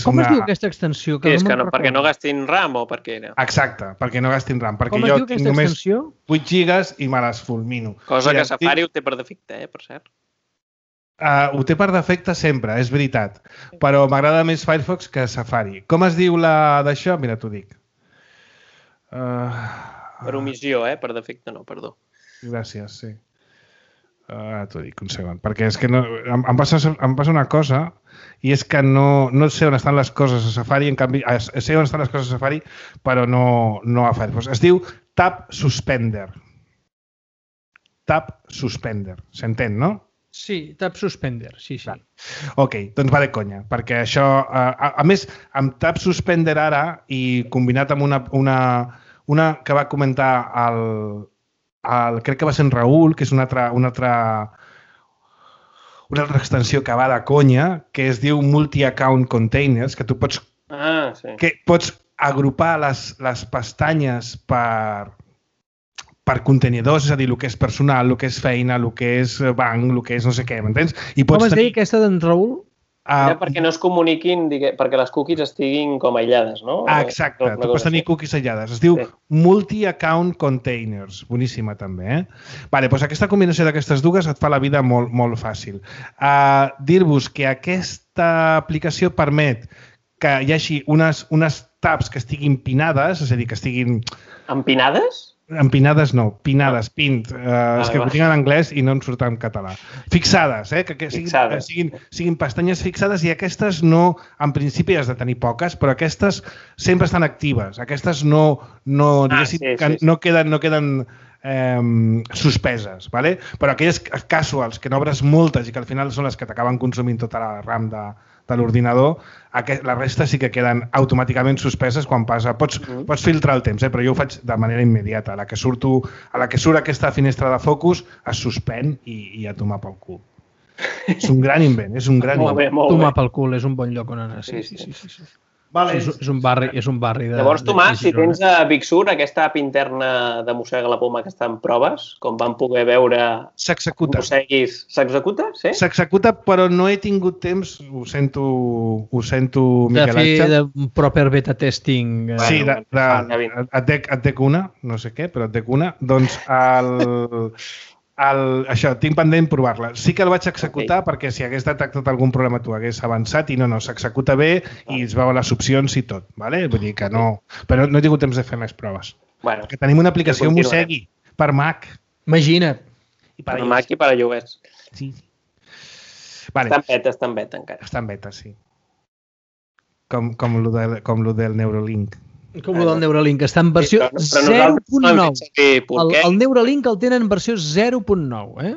Com es diu aquesta extensió? Perquè no gastin RAM o perquè... Exacte, perquè no gastin RAM. Perquè com es diu aquesta extensió? 8 gigas i me les fulmino. Cosa que Safari ho té per defecte, per cert. Ho té per defecte sempre, és veritat. Però m'agrada més Firefox que Safari. Com es diu la d'això? Mira, t'ho dic. Per omissió, per defecte no, perdó. Gràcies, sí. T'ho dic, un segon. Perquè és que em passa una cosa i és que no sé on estan les coses a Safari, en canvi, sé on estan les coses a Safari, però no a Firefox. Es diu Tab Suspender. Tab Suspender. S'entén, no? Sí, Tab Suspender, sí. Ok, doncs va de conya, perquè això... A més, amb Tab Suspender ara i combinat amb una que va comentar crec que va ser en Raül, que és una altra extensió que va de conya, que es diu Multi-Account Containers, que tu pots, que pots agrupar les pestanyes per contenidors, és a dir, el que és personal, el que és feina, el que és banc, el que és no sé què, m'entens? Com es deia aquesta d'en Raül? Perquè no es comuniquin, perquè les cookies estiguin com aïllades, no? Exacte, tu pots tenir cookies aïllades. Es diu Multi-Account Containers. Boníssima, també. Doncs aquesta combinació d'aquestes dues et fa la vida molt, molt fàcil. Dir-vos que aquesta aplicació permet que hi hagi unes tabs que estiguin pinades, és a dir, que estiguin... Empinades? Empinades no, pinades, pint. És que ho tinc en anglès i no em surt en català. Fixades, que siguin pestanyes fixades i aquestes no, en principi has de tenir poques, però aquestes sempre estan actives. Aquestes no queden suspeses, ¿vale? Però aquelles casuals que n'obres moltes i que al final són les que t'acaben consumint tota la RAM de l'ordinador, la resta sí que queden automàticament suspeses quan passa. Pots filtrar el temps, però jo ho faig de manera immediata. A la que surt aquesta finestra de focus es suspèn i a tomar pel cul. És un gran invent, és un gran invent. Tomar pel cul és un bon lloc on anar. Sí. Vale. És un barri de... Llavors, Tomàs, si tens a Big Sur, aquesta app interna de Mossega la Poma que està en proves, com vam poder veure... S'executa. S'executa, sí? S'executa, però no he tingut temps, ho sento, Miquel Àngel. De fer proper beta testing. Sí, et dec una, no sé què, però et dec una. Doncs això, tinc pendent provar-la. Sí que el vaig executar perquè si hagués detectat algun problema tu hagués avançat i no, s'executa bé i es veuen les opcions i tot, ¿vale? Vull dir que no... Però no he tingut temps de fer més proves. Perquè tenim una aplicació Mosegui per Mac. Imagina't. Per Mac i per a iOS. Sí. Està en beta encara. Està en beta, sí. Com lo del Neuralink. Com el del Neuralink, està en versió 0.9. El Neuralink el tenen en versió 0.9.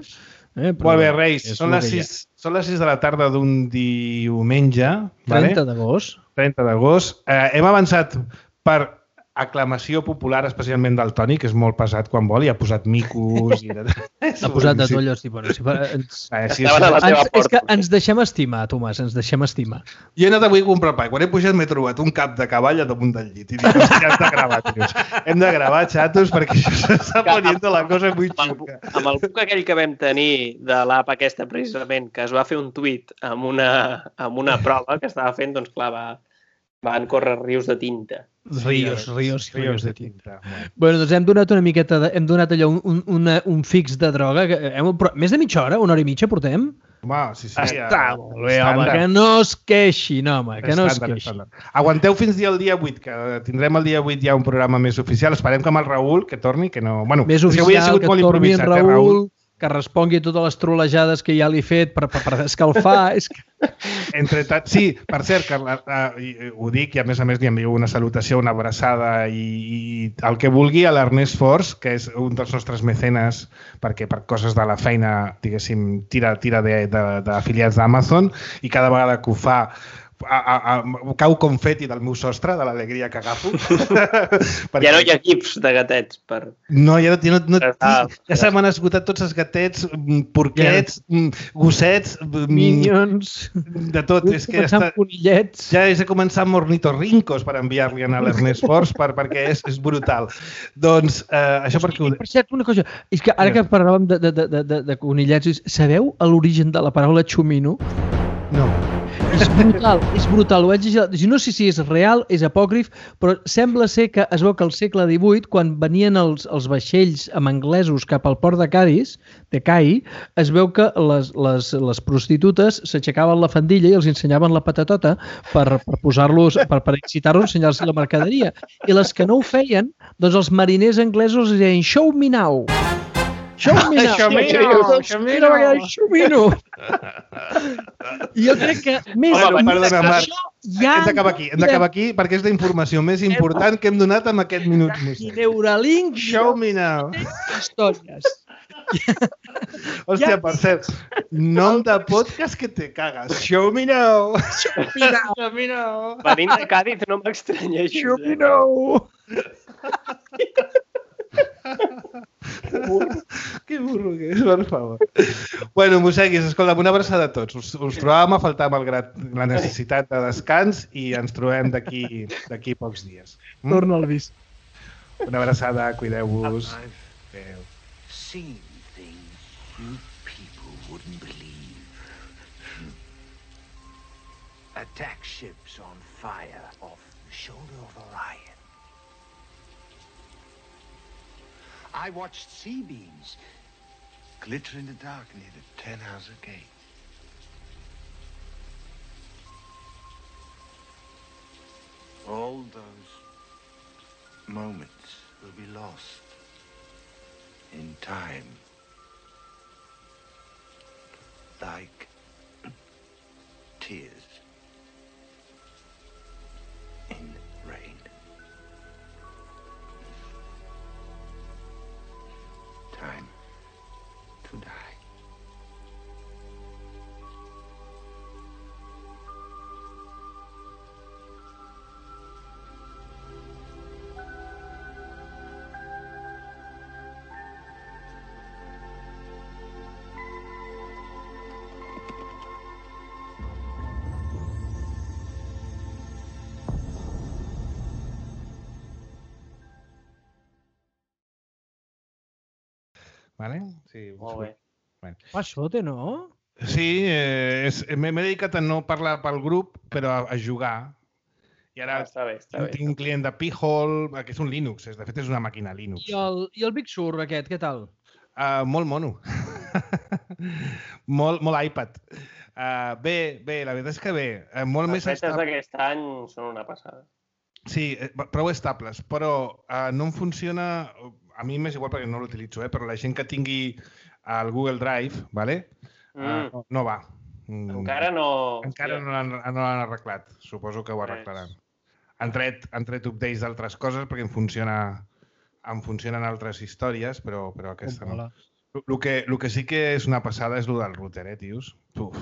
Molt bé, Reis. Són les 6 de la tarda d'un diumenge. 30 d'agost. 30 d'agost. Hem avançat per aclamació popular, especialment del Toni, que és molt pesat quan vol, i ha posat micos... Ha posat de tot allò, és que ens deixem estimar, Tomàs, ens deixem estimar. Jo he anat avui a comprar pa, quan he pujat m'he trobat un cap de cavall a damunt del llit, i dic, hòstia, hem de gravar, tios. Hem de gravar, xatos, perquè això s'està poniendo la cosa muy xuca. Amb el buc aquell que vam tenir de l'app aquesta, precisament, que es va fer un tuit amb una prova que estava fent, doncs clar, van córrer rius de tinta. Rius de tinta. Bueno, doncs hem donat una miqueta, hem donat allò un fix de droga. Més de mitja hora, una hora i mitja portem? Home, sí. Està molt bé, home, que no es queixin, home, que no es queixin. Aguanteu fins al dia 8, que tindrem el dia 8 ja un programa més oficial. Esperem que amb el Raül, que torni, que no... Bueno, més oficial, que torni en Raül, que respongui totes les trolejades que ja li he fet per escalfar. Sí, per cert, que ho dic i a més li envio una salutació, una abraçada i el que vulgui a l'Ernest Fors, que és un dels nostres mecenes, perquè per coses de la feina, diguéssim, tira d'afiliats d'Amazon i cada vegada que ho fa cau confeti del meu sostre, de l'alegria que agafo. Ja no hi ha gifs de gatets. No, ja se m'han esgotat tots els gatets, porquets, gossets, minions, de tot. Conillets. Ja he començat amb ornitorrincos per enviar-li a l'Ernest Fors perquè és brutal. Doncs això perquè... Per cert, una cosa, és que ara que parlàvem de conillets, sabeu l'origen de la paraula xumino? No. És brutal, ho vaig llegir. No sé si és real, és apòcrif, però sembla ser que es veu que al segle XVIII, quan venien els vaixells amb anglesos cap al port de Cádiz, es veu que les prostitutes s'aixecaven la faldilla i els ensenyaven la patatota per posar-los, per excitar-los, ensenyar-los la mercaderia. I les que no ho feien, doncs els mariners anglesos deien "Show me now". Show me now. I jo crec que més... Perdona, Marc, hem d'acabar aquí perquè és la informació més important que hem donat en aquest minut. I Neuralink... Show me now. Històries. Hòstia, per cert, nom de podcast que te cagues. Show me now. Show me now. Venint de Cádiz no m'estranyeixis. Show me now. Que burro que és, per favor. Bueno, mosseguis, escolta, una abraçada a tots. Us trobàvem a faltar malgrat la necessitat de descans i ens trobem d'aquí pocs dies. Torna al vis. Una abraçada, cuideu-vos. Adéu. Seen things you people wouldn't believe. Attack ships on fire off the shoulder of Orion. I watched sea beams glitter in the dark near the Tannhauser Gate. All those moments will be lost in time, like tears in rain. Time to die. Vale? Sí, molt bé. Bueno. Passote, no? Sí, m'he dedicat a no parlar pel grup, però a jugar. I ara està bé. Tinc un client de Pi-hole, que és un Linux, de fet és una màquina Linux. I el Big Sur aquest, què tal? Molt mono. molt iPad. Bé, la veritat és que bé. Molt les fetes d'aquest any són una passada. Sí, prou estables, però no em funciona... A mi m'és igual perquè no l'utilitzo, però la gent que tingui el Google Drive, ¿vale? No va. Encara no... Encara no l'han arreglat. Suposo que ho arreglaran. Han tret updates d'altres coses perquè em funcionen altres històries, però aquesta no. El que sí que és una passada és el del router, tios. Uf.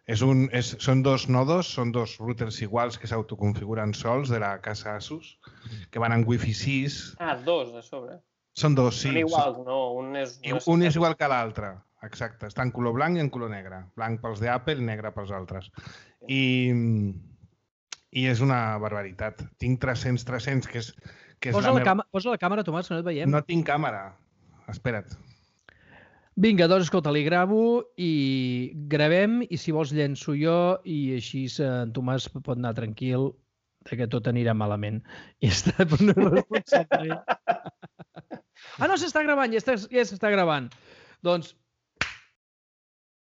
Són dos nodos, són dos routers iguals que s'autoconfiguren sols de la casa Asus, que van en Wi-Fi 6. Dos de sobre. Són dos, sí. Són iguals, no? Un és igual que l'altre, exacte. Està en color blanc i en color negre. Blanc pels d'Apple i negre pels altres. I és una barbaritat. Tinc 300, que és posa la càmera, Tomàs, que no et veiem. No tinc càmera. Espera't. Vinga, doncs, escolta, li gravo i gravem i si vols llenço jo i així en Tomàs pot anar tranquil que tot anirà malament. I està per una responsabilitat. No, s'està gravant, ja s'està gravant. Doncs